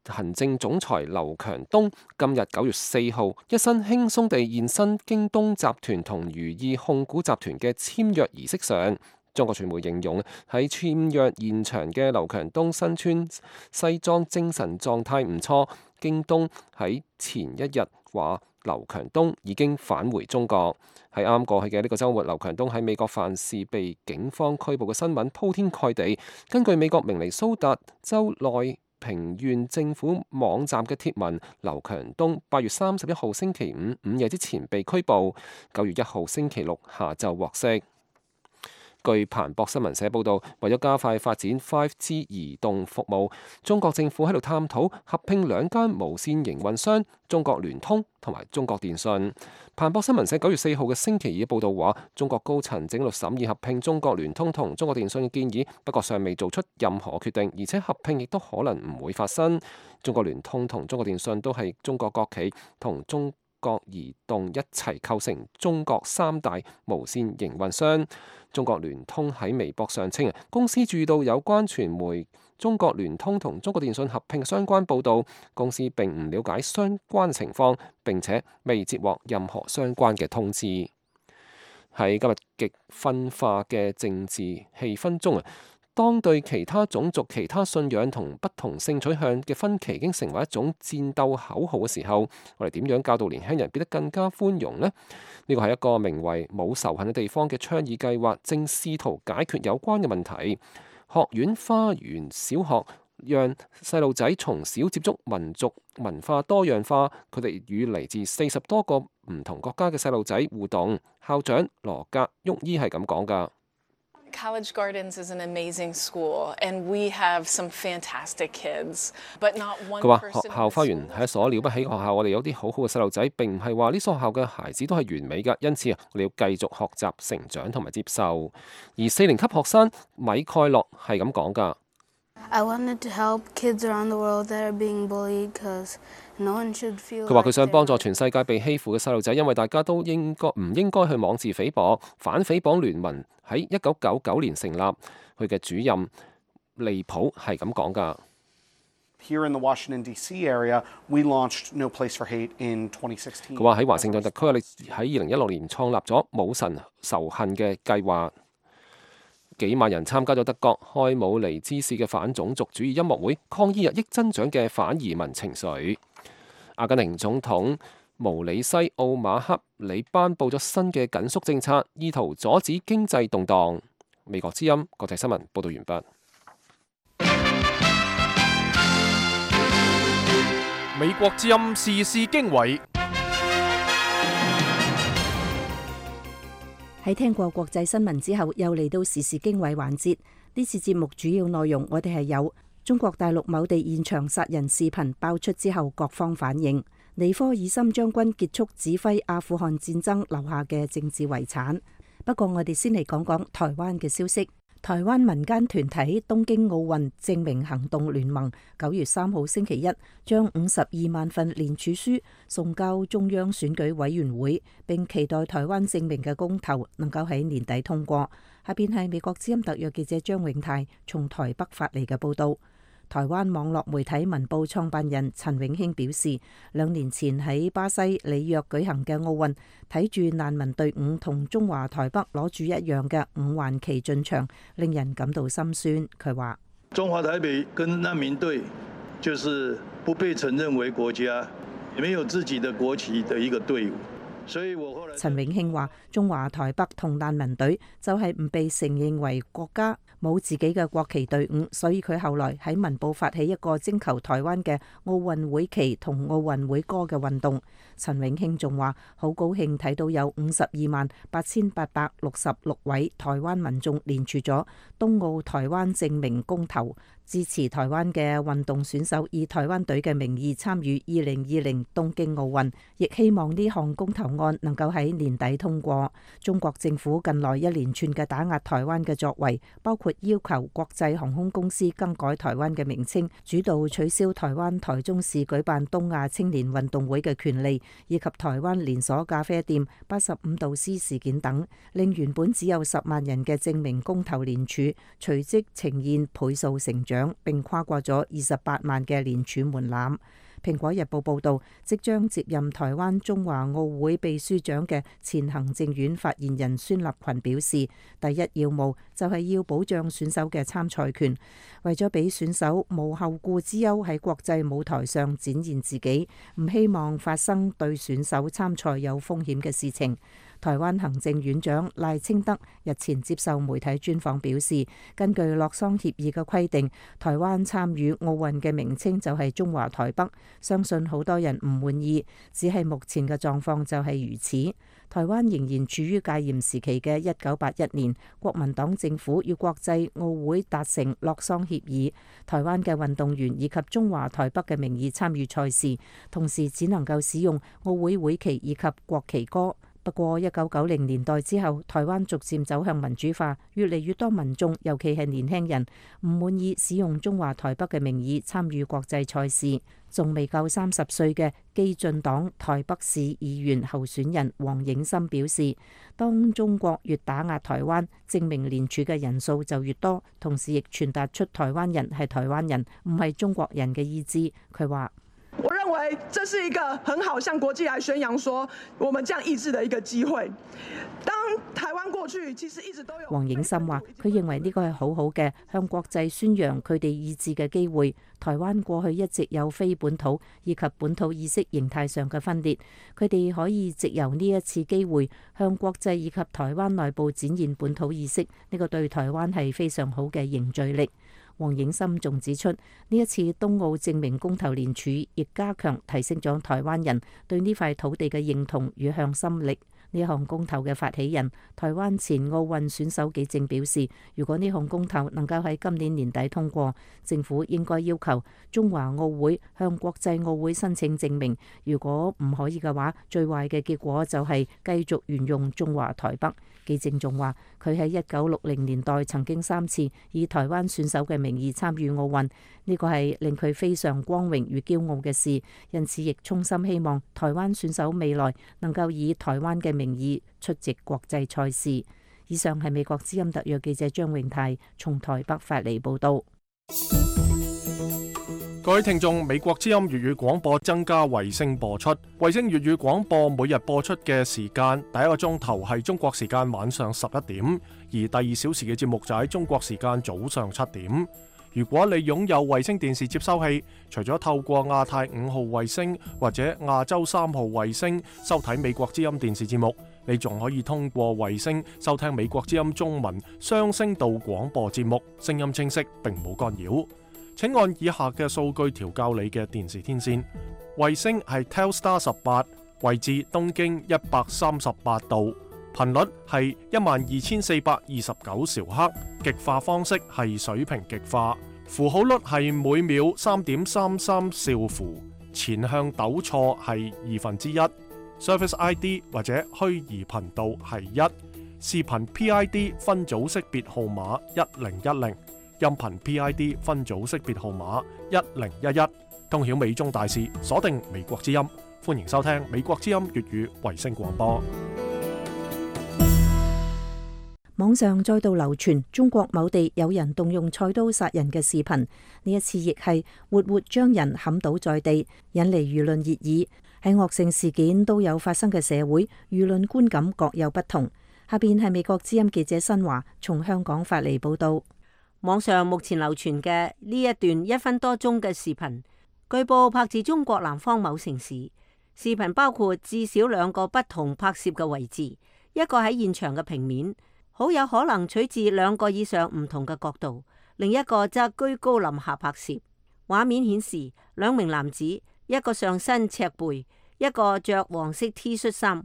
行政總裁劉強東，今日9月4號一身輕鬆地現身京東集團同如意控股集團嘅簽約儀式上。中國傳媒形容喺簽約現場嘅劉強東身穿西裝，精神狀態唔錯。京東喺前一日話劉強東已經返回中國。喺啱過去嘅呢個週末，劉強東喺美國犯事被警方拘捕嘅新聞鋪天蓋地。根據美國明尼蘇達州內平縣政府網站嘅貼文，劉強東8月31號星期五午夜之前被拘捕，9月1號星期六下晝獲釋。據彭博新聞社報導，為咗加快發展 5G 移動服務，中國政府喺度探討合併兩間無線營運商中國聯通同埋中國電信。彭博新聞社9月4號嘅星期二報導話，中國高層正喺度審議合併中國聯通同中國電信嘅建議，不過尚未做出任何決定，而且合併亦都可能唔會發生。中國聯通同中國電信都係中國國企，同中國移動一齊構成中國三大無線營運商。中國聯通喺微博上稱，公司注意到有關傳媒中國聯通同中國電信合併嘅相關報導，公司並唔了解相關情況，並且未接獲任何相關嘅通知。喺今日極分化嘅政治氣氛中，當對其他種族、其他信仰同不同性取向嘅分歧已經成為一種戰鬥口號嘅時候，我哋點樣教導年輕人變得更加寬容呢？呢個係一個名為冇仇恨嘅地方嘅倡議計劃，正試圖解決有關嘅問題。學院花園小學讓細路仔從小接觸民族文化多樣化，佢哋與嚟自40多個唔同國家嘅細路仔互動。校長羅格沃伊係咁講㗎。College Gardens is an amazing school, and we have some fantastic kids, but not one person. 佢話學校花園係一所了不起嘅學校，我哋有啲好好嘅細路仔，並唔係話呢所學校嘅孩子都係完美㗎，因此我哋要繼續學習、成長同埋接受。而4年級學生米蓋洛係咁講㗎。I wanted to help kids around the world that are being bullied, because no one should feel. 佢話佢想幫助全世界被欺負嘅細路仔，因為大家都唔應該去妄自菲薄。反誹謗聯盟喺1999年成立，佢嘅主任利普係咁講㗎。Here in the Washington D.C. area, we launched No Place for Hate in 2016. 佢話喺華盛頓特區，我哋喺2016年創立咗冇神仇恨嘅計劃，幾萬人參加咗德國開姆尼茲市嘅反種族主義音樂會，抗議日益增長嘅反移民情緒。阿根廷總統毛里西奧馬克里頒布咗新嘅緊縮政策，意圖阻止經濟動盪。美國之音國際新聞報道完畢。美國之音時事經緯。喺聽過國際新聞之後，又嚟到時事經緯環節。呢次節目主要內容，我哋係有中國大陸某地現場殺人視頻爆出之後，各方反應；尼科爾森將軍結束指揮阿富汗戰爭留下嘅政治遺產。不過，我哋先嚟講講台灣嘅消息。台灣民間團體東京奧運正名行動聯盟9月3號星期一將52萬份聯署書送交中央選舉委員會，並期待台灣正名嘅公投能夠喺年底通過。下邊係美國之音特約記者張永泰從台北發嚟嘅報道。台灣網絡媒體文報創辦人陳永興表示，2年前喺巴西里約舉行嘅奧運，睇住難民隊伍同中華台北攞住一樣嘅5環旗進場，令人感到心酸。佢話：中華台北跟難民隊就是不被承認為國家，沒有自己的國旗的一個隊伍。陳永興話：中華台北同難民隊就係唔被承認為國家，冇自己嘅國旗隊伍，所以佢後來喺文報發起一個徵求台灣嘅奧運會旗同奧運會歌嘅運動。陳永興仲話：好高興睇到有528866位台灣民眾連署咗東奧台灣正名公投，支持台灣嘅運動選手以台灣隊嘅名義參與2020東京奧運，亦希望呢項公投案能夠喺年底通過。中國政府近來一連串嘅打壓台灣嘅作為，包括要求國際航空公司更改台灣嘅名稱，主導取消台灣台中市舉辦東亞青年運動會嘅權利，以及台灣連鎖咖啡店85度 C 事件等，令原本只有10萬人嘅正名公投連署，隨即呈現倍數成長，並跨過咗28萬嘅連署門檻。蘋果日報報導，即將接任台灣中華奧會秘書長嘅前行政院發言人孫立群表示，第一要務就係要保障選手嘅參賽權，為咗俾選手無後顧之憂喺國際舞台上展現自己，唔希望發生對選手參賽有風險嘅事情。台灣行政院長賴清德日前接受媒體專訪表示，根據洛桑協議嘅規定，台灣參與奧運嘅名稱就係中華台北，相信好多人唔滿意，只係目前嘅狀況就係如此。台灣仍然處於戒嚴時期嘅1981年，國民黨政府與國際奧會達成洛桑協議，台灣嘅運動員以及中華台北嘅名義參與賽事，同時只能夠使用奧會會旗以及國旗歌。不過1990年代之後，台灣逐漸走向民主化，越嚟越多民眾，尤其係年輕人，唔滿意使用中華台北嘅名義參與國際賽事。仲未夠30歲嘅基進黨台北市議員候選人黃映森表示，當中國越打壓台灣，正名連署嘅人數就越多，同時亦傳達出台灣人係台灣人，唔係中國人嘅意志。佢話：我認為這是一個很好向國際來宣揚說我們這樣意志的一個機會。當台灣過去其實一直都有。黃映森話：佢認為呢個係好好嘅向國際宣揚佢哋意志嘅機會。台灣過去一直有非本土以及本土意識形態上嘅分裂，佢哋可以藉由呢一次機會向國際以及台灣內部展現本土意識，呢個對台灣係非常好嘅凝聚力。黃映森仲指出，呢一次東奧正名公投連署，亦加強提升咗台灣人對呢塊土地嘅認同與向心力。呢項公投嘅發起人台灣前奧運選手紀正表示，如果呢項公投能夠喺今年年底通過，政府應該要求中華奧會向國際奧會申請正名。如果唔可以嘅話，最壞嘅結果就係繼續沿用中華台北。紀正仲話，佢喺1960年代曾經3次以台灣選手嘅名義參與奧運，呢個係令佢非常光榮與驕傲嘅事，因此亦衷心希望台灣選手未來能夠以台灣嘅名義出席國際賽事。以上係美國之音特約記者張永泰從台北發嚟報道。各位聽眾，美國之音粵語廣播增加衛星播出。衛星粵語廣播每日播出嘅時間，第一個鐘頭係中國時間晚上11點，而第2小時嘅節目就喺中國時間早上7點。如果你擁有衛星電視接收器，除咗透過亞太5號衛星或者亞洲3號衛星收睇美國之音電視節目，你仲可以通過衛星收聽美國之音中文雙聲道廣播節目，聲音清晰並冇干擾。請按以下嘅數據調校你嘅電視天線。衛星係 Telstar 18，位置東經138度，頻率係12429兆赫，極化方式係水平極化，符號率係每秒3.33兆符，前向抖錯係1/2，Service ID 或者虛擬頻道係1，視頻 PID 分組識別號碼1010。音頻 PID 分組識別號碼1011，通曉美中大事，鎖定美國之音，歡迎收聽美國之音粵語衛星廣播。網上再度流傳中國某地有人動用菜刀殺人嘅視頻，呢一次亦係活活將人砍倒在地，引嚟輿論熱議。喺惡性事件都有發生嘅社會，輿論觀感各有不同。下邊係美國之音記者新華從香港發嚟報道。網上目前流傳嘅呢一段1分多鐘嘅視頻，據報拍自中國南方某城市。視頻包括至少2個不同拍攝嘅位置，一個喺現場嘅平面，好有可能取自2個以上唔同嘅角度；另一個則居高臨下拍攝。畫面顯示2名男子，一個上身赤背，一個着黃色 T 恤衫，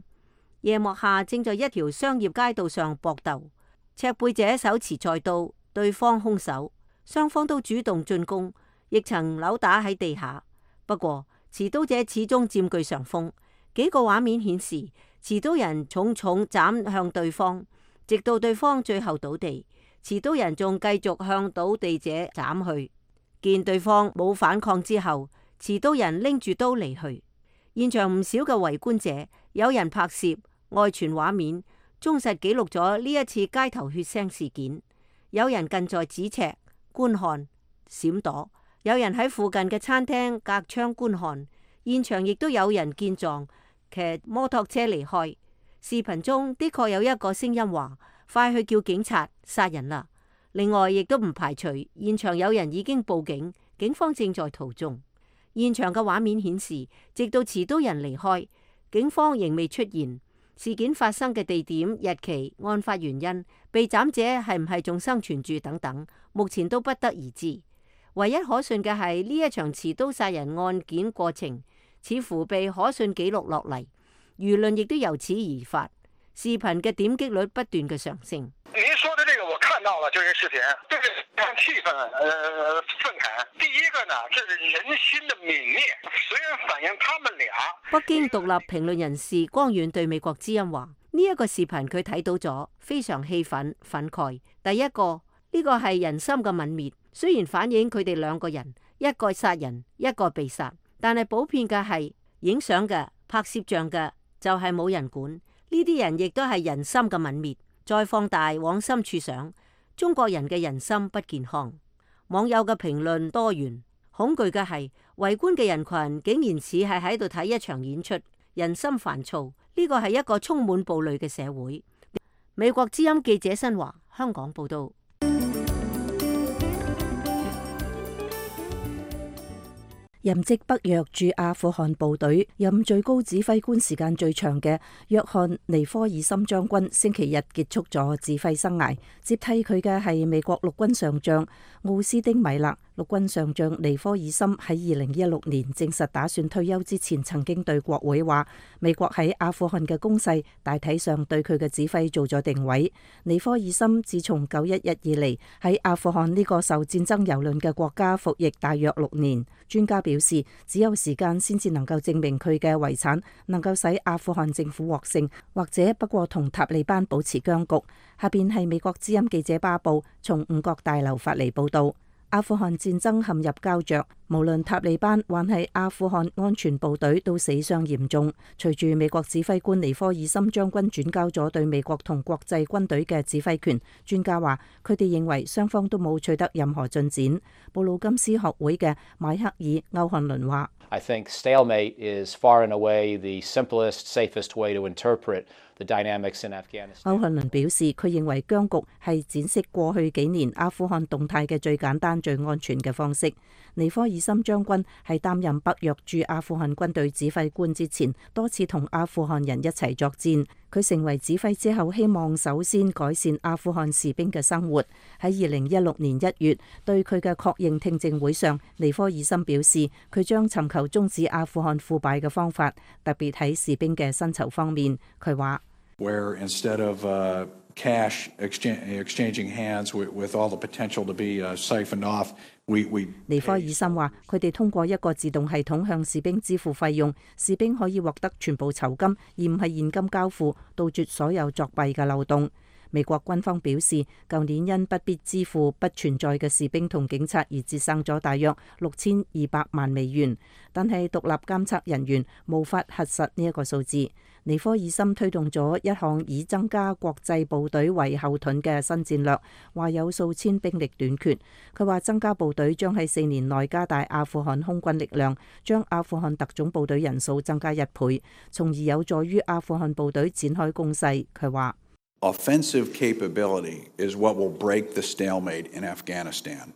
夜幕下正在一條商業街道上搏鬥。赤背者手持菜刀，對方兇手，雙方都主動進攻，亦曾扭打喺地下。不過持刀者始終佔據上風。幾個畫面顯示，持刀人重重斬向對方，直到對方最後倒地，持刀人仲繼續向倒地者斬去。見對方冇反抗之後，持刀人拎住刀離去。現場唔少嘅圍觀者，有人拍攝外傳畫面，忠實記錄咗呢一次街頭血腥事件。有人近在咫尺觀看閃躲，有人喺附近嘅餐廳隔窗觀看。現場亦都有人見狀騎摩托車離開。視頻中的確有一個聲音話：快去叫警察，殺人啦！另外亦都唔排除現場有人已經報警，警方正在途中。現場嘅畫面顯示，直到持刀人離開，警方仍未出現。事件發生嘅地點、日期、案發原因、被斬者係唔係仲生存住等等，目前都不得而知。唯一可信嘅係呢一場持刀殺人案件過程似乎被可信記錄落嚟，輿論亦都由此而發，視頻嘅點擊率不斷嘅上升。您說的這個我看到了真人視頻，對非常氣憤，憤慨。第一個呢，這是人心的泯滅，雖然反映他們倆。北京獨立評論人士光遠對美國之音話：呢一個視頻佢睇到咗，非常氣憤憤慨。第一個呢個係人心嘅泯滅，雖然反映佢哋2個人，一個殺人，一個被殺，但係普遍嘅係影相嘅、拍攝像嘅就係冇人管。呢啲人亦都係人心嘅泯滅。再放大往深處想，中國人嘅人心不健康。網友嘅評論多元，恐懼嘅係圍觀嘅人群竟然似係喺度睇一場演出，人心煩躁。呢個係一個充滿暴戾嘅社會。美國之音記者新華香港報道。任職北約駐阿富汗部隊、任最高指揮官時間最長嘅約翰尼科爾森將軍星期日結束咗指揮生涯，接替佢嘅係美國陸軍上將奧斯丁米勒。陸軍上將尼科爾森喺2016年證實打算退休之前，曾經對國會話，美國喺阿富汗嘅攻勢大體上對佢嘅指揮做咗定位。尼科爾森自從911以嚟喺阿富汗呢個受戰爭蹂躪嘅國家服役大約6年。專家表示，只有時間先至能夠證明佢嘅遺產能夠使阿富汗政府獲勝，或者不過同塔利班保持僵局。下邊係美國之音記者巴布從五角大樓發嚟報道。阿富汗戰爭陷入膠着，無論塔利班還係阿富汗安全部隊都死傷嚴重。隨住美國指揮官尼科爾森將軍轉交咗對美國同國際軍隊嘅指揮權，專家話佢哋認為雙方都冇取得任何進展。布魯金斯學會嘅邁克爾·歐漢倫話：I think stalemate is far and away the simplest, safest way to interpret the dynamics in Afghanistan。歐漢倫表示，佢認為僵局係展示過去幾年阿富汗動態嘅最簡單、最安全嘅方式。尼科爾森將軍係擔任北約駐阿富汗軍隊指揮官之前，多次同阿富汗人一齊作戰。佢成為指揮之後，希望首先改善阿富汗士兵嘅生活。喺2016年1月對佢嘅確認聽證會上，尼科爾森表示佢將尋求終止阿富汗腐敗嘅方法，特別喺士兵嘅薪酬方面。佢話：Where instead of cash exchanging hands with all the potential to be siphoned off。尼科爾森話：佢哋通過一個自動系統向士兵支付費用，士兵可以獲得全部酬金，而唔係現金交付，杜絕所有作弊嘅漏洞。美國軍方表示，舊年因不必支付不存在嘅士兵同警察而節省咗大約6200萬美元，但係獨立監測人員無法核實呢一個數字。尼科爾森推動咗一項以增加國際部隊為後盾嘅新戰略，話有數千兵力短缺。佢話增加部隊將喺4年內加大阿富汗空軍力量，將阿富汗特種部隊人數增加1倍，從而有助於阿富汗部隊展開攻勢。佢話：Offensive capability is what will break the stalemate in Afghanistan.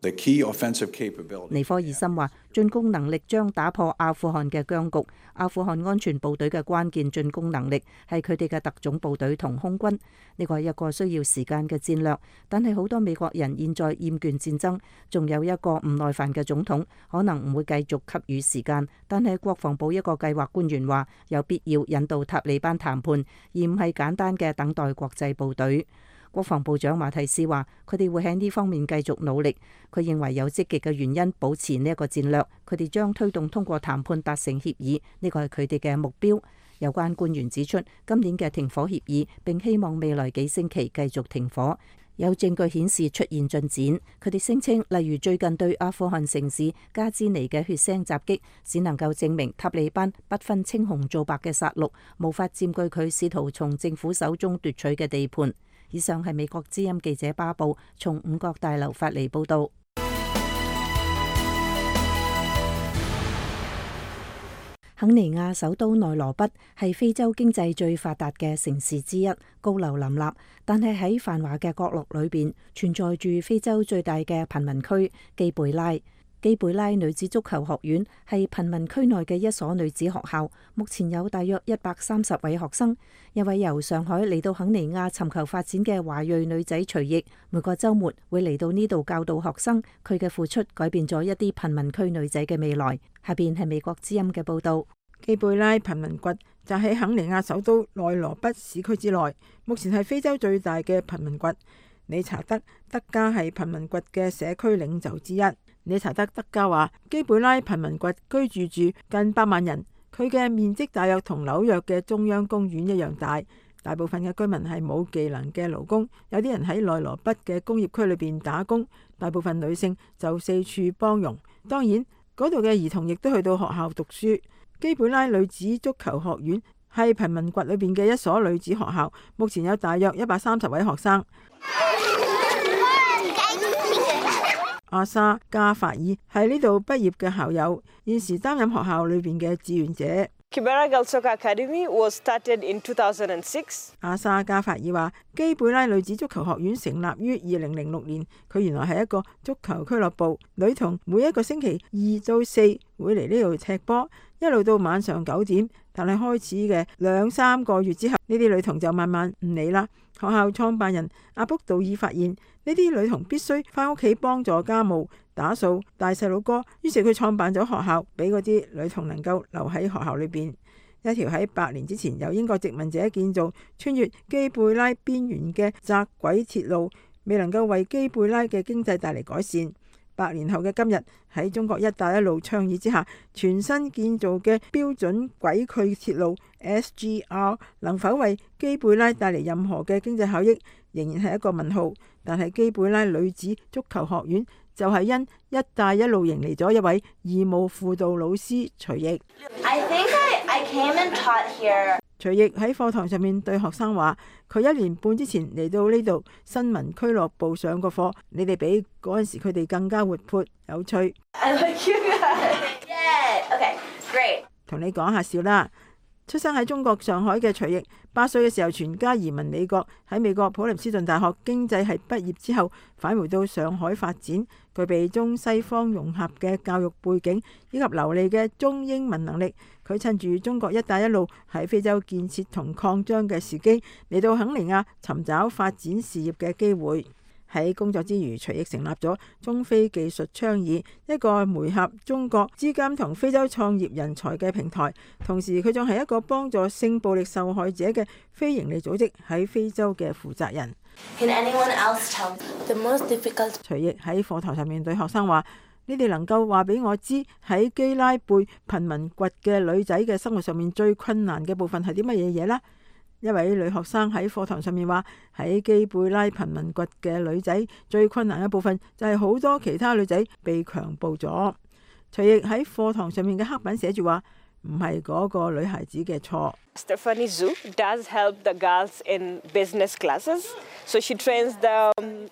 The key offensive capability. 尼科爾森話：進攻能力將打破阿富汗嘅僵局。阿富汗安全部隊嘅關鍵進攻能力係佢哋嘅特種部隊同空軍。呢個係一個需要時間嘅戰略，但係好多美國人現在厭倦戰爭，仲有一個唔耐煩嘅總統，可能唔會繼續給予時間。但係國防部一個計劃官員話，有必要引導塔利班談判，而唔係簡單嘅等待國際部隊。國防部長馬蒂斯話：佢哋會喺呢方面繼續努力。佢認為有積極嘅原因保持呢一個戰略，佢哋將推動通過談判達成協議，呢個係佢哋嘅目標。有關官員指出，今年嘅停火協議並希望未來幾星期繼續停火。有證據顯示出現進展。佢哋聲稱，例如最近對阿富汗城市加茲尼嘅血腥襲擊，只能夠證明塔利班不分青紅皂白嘅殺戮，無法佔據佢試圖從政府手中奪取嘅地盤。以上係美國之音記者巴布從五角大樓發嚟報道。肯尼亞首都內羅畢係非洲經濟最發達嘅城市之一，高樓林立，但係喺繁華嘅角落裏邊存在住非洲最大嘅貧民區基貝拉。基貝拉女子足球學院係貧民區內嘅一所女子學校，目前有大約130位學生。一位由上海嚟到肯尼亞尋求發展嘅華裔女仔徐奕，每個週末會嚟到呢度教導學生。佢嘅付出改變咗一啲貧民區女仔嘅未來。下邊係美國之音嘅報導。基貝拉貧民窟就喺肯尼亞首都內羅畢市區之內，目前係非洲最大嘅貧民窟。理查德·德加係貧民窟嘅社區領袖之一。理查德·德加話：基貝拉貧民窟居住近8萬人，佢嘅面積大約同紐約嘅中央公園一樣大。大部分嘅居民係冇技能嘅勞工，有啲人喺內羅畢嘅工業區裏邊打工，大部分女性就四處幫傭。當然，嗰度嘅兒童亦都去到學校讀書。基貝拉女子足球學院係貧民窟裏邊嘅一所女子學校，目前有大約130位學生。阿莎加法爾係呢度畢業嘅校友，現時擔任學校裏邊嘅志願者。阿莎加法爾話：基貝拉女子足球學院成立於2006年，佢原來係一個足球俱樂部，女童每一個星期2到4會嚟呢度踢波，一路到晚上9點。但係開始嘅2-3個月之後，呢啲女童就慢慢唔嚟啦。學校創辦人阿卜杜爾發現呢啲女童必須返屋企幫助家務、打掃、帶細佬哥，於是佢創辦咗學校，俾嗰啲女童能夠留喺學校裏邊。一條喺100年之前由英國殖民者建造、穿越基貝拉邊緣嘅窄軌鐵路，未能夠為基貝拉嘅經濟帶嚟改善。100年後嘅今日，喺中國一帶一路倡議之下，全新建造嘅標準軌距鐵路 SGR 能否為基貝拉帶嚟任何嘅經濟效益，仍然係一個問號。但係基貝拉女子足球學院就係因一帶一路迎嚟咗一位義務輔導老師徐奕。徐奕喺課堂上面對學生話：佢1年半之前嚟到呢度新聞俱樂部上過課，你哋比嗰陣時佢哋更加活潑有趣。同你講下笑啦。出生喺中國上海嘅徐奕，8歲嘅時候全家移民美國，喺美國普林斯頓大學經濟系畢業之後，返回到上海發展，具備中西方融合嘅教育背景以及流利嘅中英文能力。佢趁住中國一帶一路喺非洲建設同擴張嘅時機，嚟到肯尼亞尋找發展事業嘅機會。喺工作之餘，徐奕成立咗中非技術倡議，一個媒合中國資金同非洲創業人才嘅平台。同時，佢仲係一個幫助性暴力受害者嘅非營利組織喺非洲嘅負責人。徐奕喺課堂上面對學生話：你哋能夠話俾我知喺基拉貝貧民窟嘅女仔嘅生活上面最困難嘅部分係啲乜嘢嘢呢？一位女學生喺課堂上面話：喺基貝拉貧民窟嘅女仔最困難嘅部分就係好多其他女仔被強暴咗。徐奕喺課堂上面嘅黑板寫住話：唔係嗰個女孩子嘅錯。Stephanie Zhu does help the girls in business classes, so she trains them.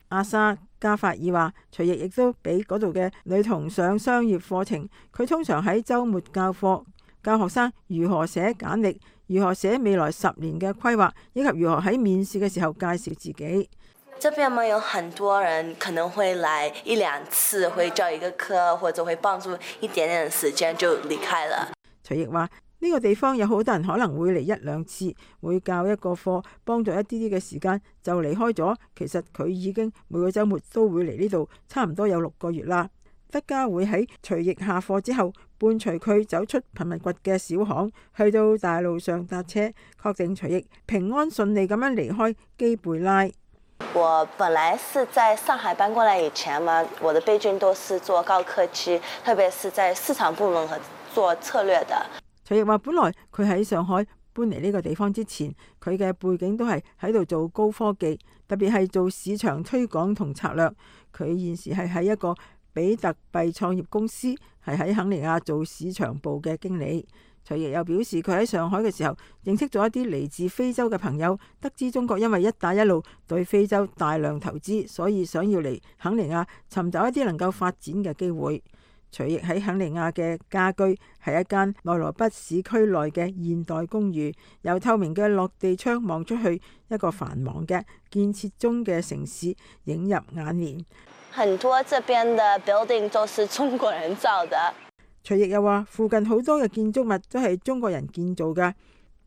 阿莎加法爾話：徐奕亦都俾嗰度嘅女童上商業課程。佢通常喺週末教課，教學生如何寫簡歷，如何寫未來10年嘅規劃，以及如何喺面試嘅時候介紹自己。這邊嘛，有很多人可能會來1-2次，會教一個課，或者會幫助一點點時間就離開了。徐奕話：呢個地方有好多人可能會嚟1-2次，會教一個課，幫助一啲啲嘅時間就離開咗。其實佢已經每個週末都會嚟呢度，差唔多有6個月啦。德家會喺徐奕下課之後，伴隨佢走出貧民窟嘅小巷，去到大路上搭車，確定徐奕平安順利咁樣離開基貝拉。我本來是在上海搬過來以前嘛，我的備軍都是做高科技，特別是在市場部門和做策略的。徐奕話：本來佢喺上海搬嚟呢個地方之前，佢嘅背景都係喺度做高科技，特別係做市場推廣同策略。佢現時係喺一個比特幣創業公司，係喺肯尼亞做市場部嘅經理。徐奕又表示，佢喺上海嘅時候認識咗一啲嚟自非洲嘅朋友，得知中國因為一帶一路對非洲大量投資，所以想要嚟肯尼亞尋找一啲能夠發展嘅機會。徐奕喺肯尼亞嘅家居係一間內羅畢市區內嘅現代公寓，由透明嘅落地窗望出去，一個繁忙嘅建設中嘅城市映入眼簾。很多這邊的 building 都是中國人造的。徐奕又話：附近好多嘅建築物都係中國人建造㗎。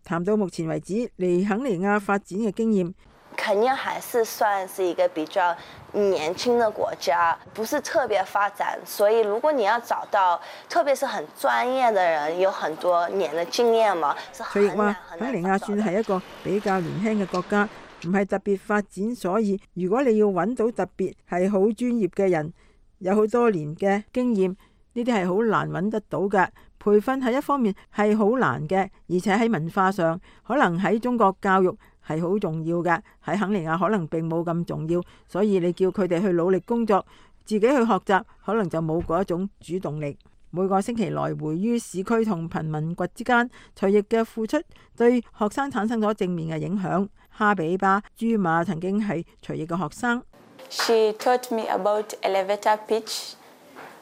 談到目前為止嚟肯尼亞發展嘅經驗，肯尼亞還是算是一個比較年輕的國家，不是特別發展，所以如果你要找到，特別是很專業的人，有很多年的經驗嘛，是很難。徐奕話：肯尼亞算係一個比較年輕嘅國家，唔係特別發展，所以如果你要揾到特別係好專業嘅人，有好多年嘅經驗，呢啲係好難揾得到嘅。培訓係一方面係好難嘅，而且喺文化上，可能喺中國教育係好重要嘅，喺肯尼亞可能並冇咁重要，所以你叫佢哋去努力工作，自己去學習，可能就冇嗰一種主動力。每個星期來回於市區同貧民窟之間，徐奕嘅付出對學生產生咗正面嘅影響。哈比巴朱馬曾經係徐奕嘅學生。She taught me about elevator pitch,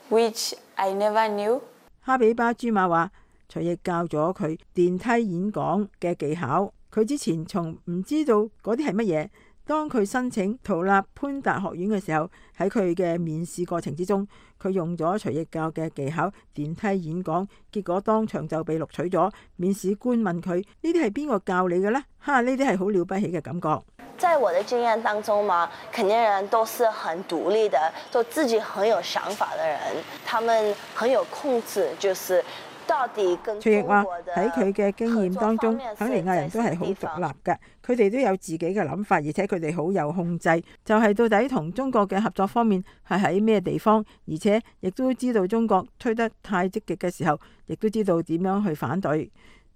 which I never knew. 哈比巴朱馬話：徐奕教咗佢電梯演講嘅技巧，佢之前從唔知道嗰啲係乜嘢。當佢申請圖立潘達學院嘅時候，喺佢嘅面試過程之中，佢用咗徐奕教嘅技巧電梯演講，結果當場就被錄取咗。面試官問佢：呢啲係邊個教你嘅呢？哈！呢啲係好了不起嘅感覺。在我的經驗當中嘛，肯尼亞人都是很獨立的，都自己很有想法的人，他們很有控制，就是到底跟徐奕話喺佢嘅經驗當中，肯尼亞人都係好獨立嘅，佢哋都有自己嘅諗法，而且佢哋好有控制，就係到底同中國嘅合作方面係喺咩地方，而且亦都知道中國推得太積極嘅時候，亦都知道點樣去反對。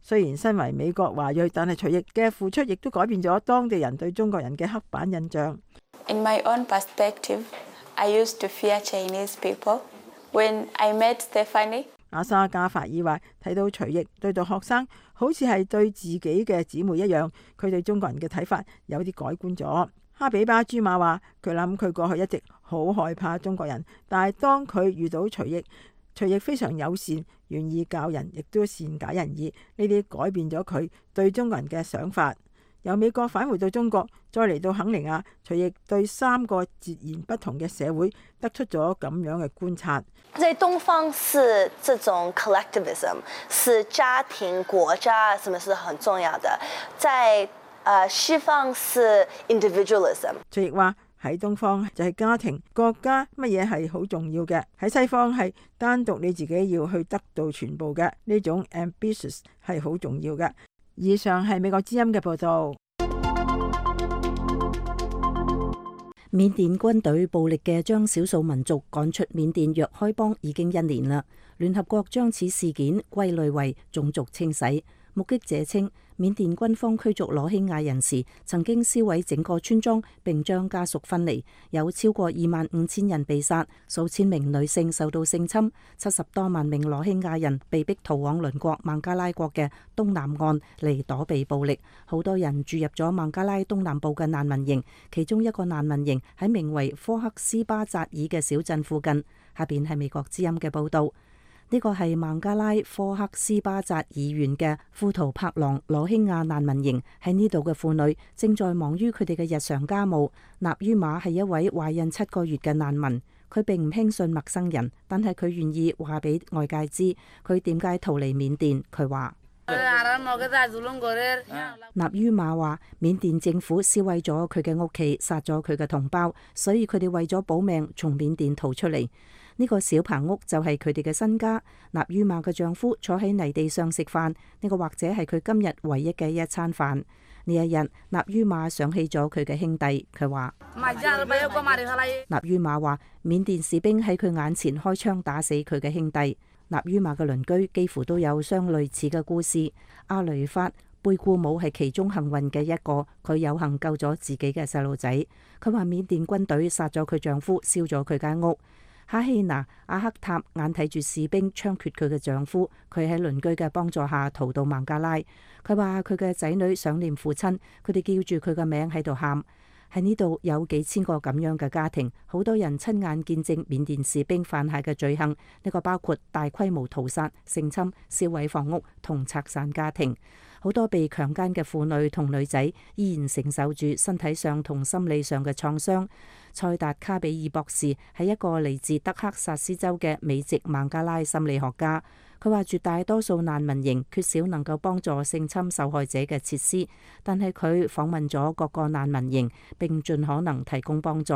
雖然身為美國華裔，但係徐奕嘅付出亦都改變咗當地人對中國人嘅刻板印象。In my own perspective, I used to fear Chinese people. When I met Stephanie, 阿莎加法爾話：睇到徐奕對待學生好似係對自己嘅姊妹一樣，佢對中國人嘅睇法有啲改觀咗。哈比巴朱馬話：佢諗佢過去一直好害怕中國人，但係當佢遇到徐奕非常友善，願意教人，亦都善解人意，呢啲改變咗佢對中國人嘅想法。由美國返回到中國，再嚟到肯尼亞，徐奕對3個截然不同嘅社會得出咗咁樣嘅觀察。在東方是這種 collectivism， 是家庭、國家，什麼是很重要的。在西方是 individualism。徐奕話喺東方就係家庭、國家乜嘢係好重要嘅，喺西方係單獨你自己要去得到全部嘅呢種 ambitious 係好重要嘅。以上係美國之音嘅報道。緬甸軍隊暴力嘅將少數民族趕出緬甸若開邦已經1年啦。聯合國將此事件歸類為種族清洗。目擊者稱，緬甸軍方驅逐羅興亞人時，曾經燒毀整個村莊並將家屬分離，有超過25,000人被殺，數千名女性受到性侵，70多萬名羅興亞人被逼逃往鄰國孟加拉國嘅東南岸嚟躲避暴力。好多人住入咗孟加拉東南部嘅難民營，其中一個難民營喺名為科克斯巴扎爾嘅小鎮附近。下邊係美國之音嘅報道。呢個係孟加拉科克斯巴扎爾縣嘅庫圖柏朗羅興亞難民營，喺呢度嘅婦女正在忙於佢哋嘅日常家務。納於瑪係一位懷孕7個月嘅難民，佢並唔輕信陌生人，但係佢願意話俾外界知佢點解逃離緬甸。佢話：納於瑪話，緬甸政府燒毀咗佢嘅屋企，殺咗佢嘅同胞，所以佢哋為咗保命從緬甸逃出嚟。呢個小棚屋就係佢哋嘅新家。納於瑪嘅丈夫坐喺泥地上食飯，呢個或者係佢今日唯一嘅一餐飯。呢一日，納於瑪想起咗佢嘅兄弟，佢話：納於瑪話，緬甸士兵喺佢眼前開槍打死佢嘅兄弟。納於瑪嘅鄰居幾乎都有相類似嘅故事。阿雷法貝固姆係其中幸運嘅一個，佢有幸救咗自己嘅細路仔。佢話緬甸軍隊殺咗佢丈夫，燒咗佢間屋。哈希娜阿克塔眼睇住士兵槍決佢嘅丈夫，佢喺鄰居嘅幫助下逃到孟加拉。佢話佢嘅仔女想念父親，佢哋叫住佢嘅名喺度喊。喺呢度有幾千個咁樣嘅家庭，好多人親眼見證緬甸士兵犯下嘅罪行，呢個包括大規模屠殺、性侵、燒毀房屋同拆散家庭。好多被強姦嘅婦女同女仔依然承受住身體上同心理上嘅創傷。塞達卡比爾博士係一個嚟自德克薩斯州嘅美籍孟加拉心理學家。佢話絕大多數難民營缺少能夠幫助性侵受害者嘅設施，但係佢訪問咗各個難民營並盡可能提供幫助。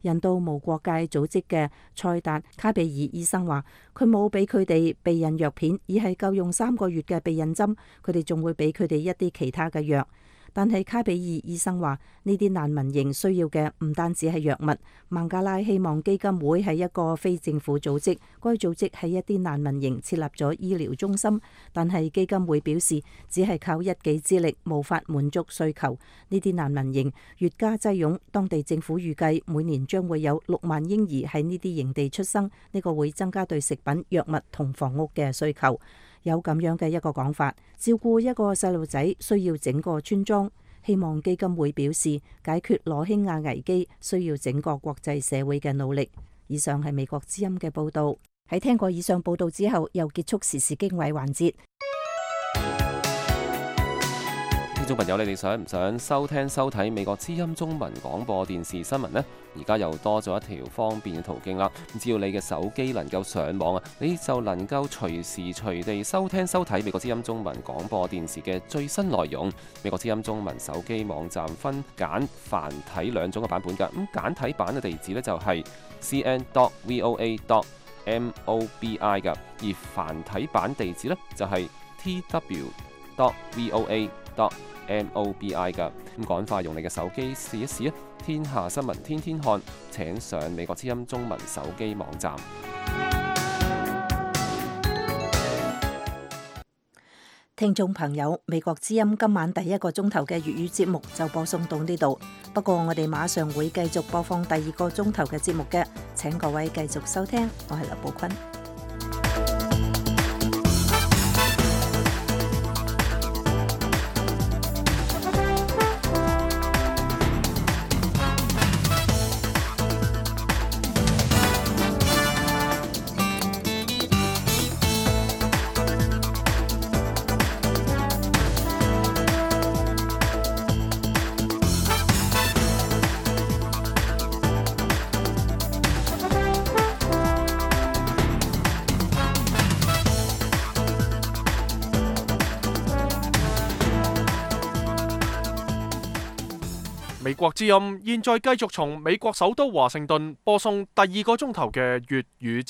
人道無國界組織嘅塞達卡比爾醫生話，佢冇俾佢哋避孕藥片，而係夠用3個月嘅避孕針，佢哋仲會俾佢哋一啲其他嘅藥。但係卡比爾醫生話，呢啲難民營需要嘅唔單止係藥物。孟加拉希望基金會係一個非政府組織，該組織喺一啲難民營設立咗醫療中心，但係基金會表示只係靠一己之力無法滿足需求。呢啲難民營越加擠擁，當地政府預計每年將會有6萬嬰兒喺呢啲營地出生，呢個會增加對食品、藥物同房屋嘅需求。有咁樣嘅一個講法，照顧一個細路仔需要整個村莊。希望基金會表示，解決羅興亞危機需要整個國際社會嘅努力。以上係美國之音嘅報導。喺聽過以上報導之後，又結束時事經緯環節。聽眾朋友，你哋想唔想收聽收睇美國之音中文廣播電視新聞呢？而家又多咗一條方便嘅途徑啦！只要你嘅手機能夠上網啊，你就能夠隨時隨地收聽收睇美國之音中文廣播電視嘅最新內容。美國之音中文手機網站分簡繁體2種嘅版本㗎。咁簡體版嘅地址呢，就係 cn.voa.mobi 㗎，而繁體版地址呢，就係 tw.voa.mobi 㗎。咁趕快用你嘅手機試一試啊！天下新聞天天看，請上美國之音中文手機網站。聽眾朋友，美國之音今晚第1個鐘頭嘅粵語節目就播送到呢度。不過我哋馬上會繼續播放第2個鐘頭嘅節目嘅，請各位繼續收聽。我係劉寶坤。美國之音現在繼續從美國首都華盛頓播送第2個鐘頭嘅粵語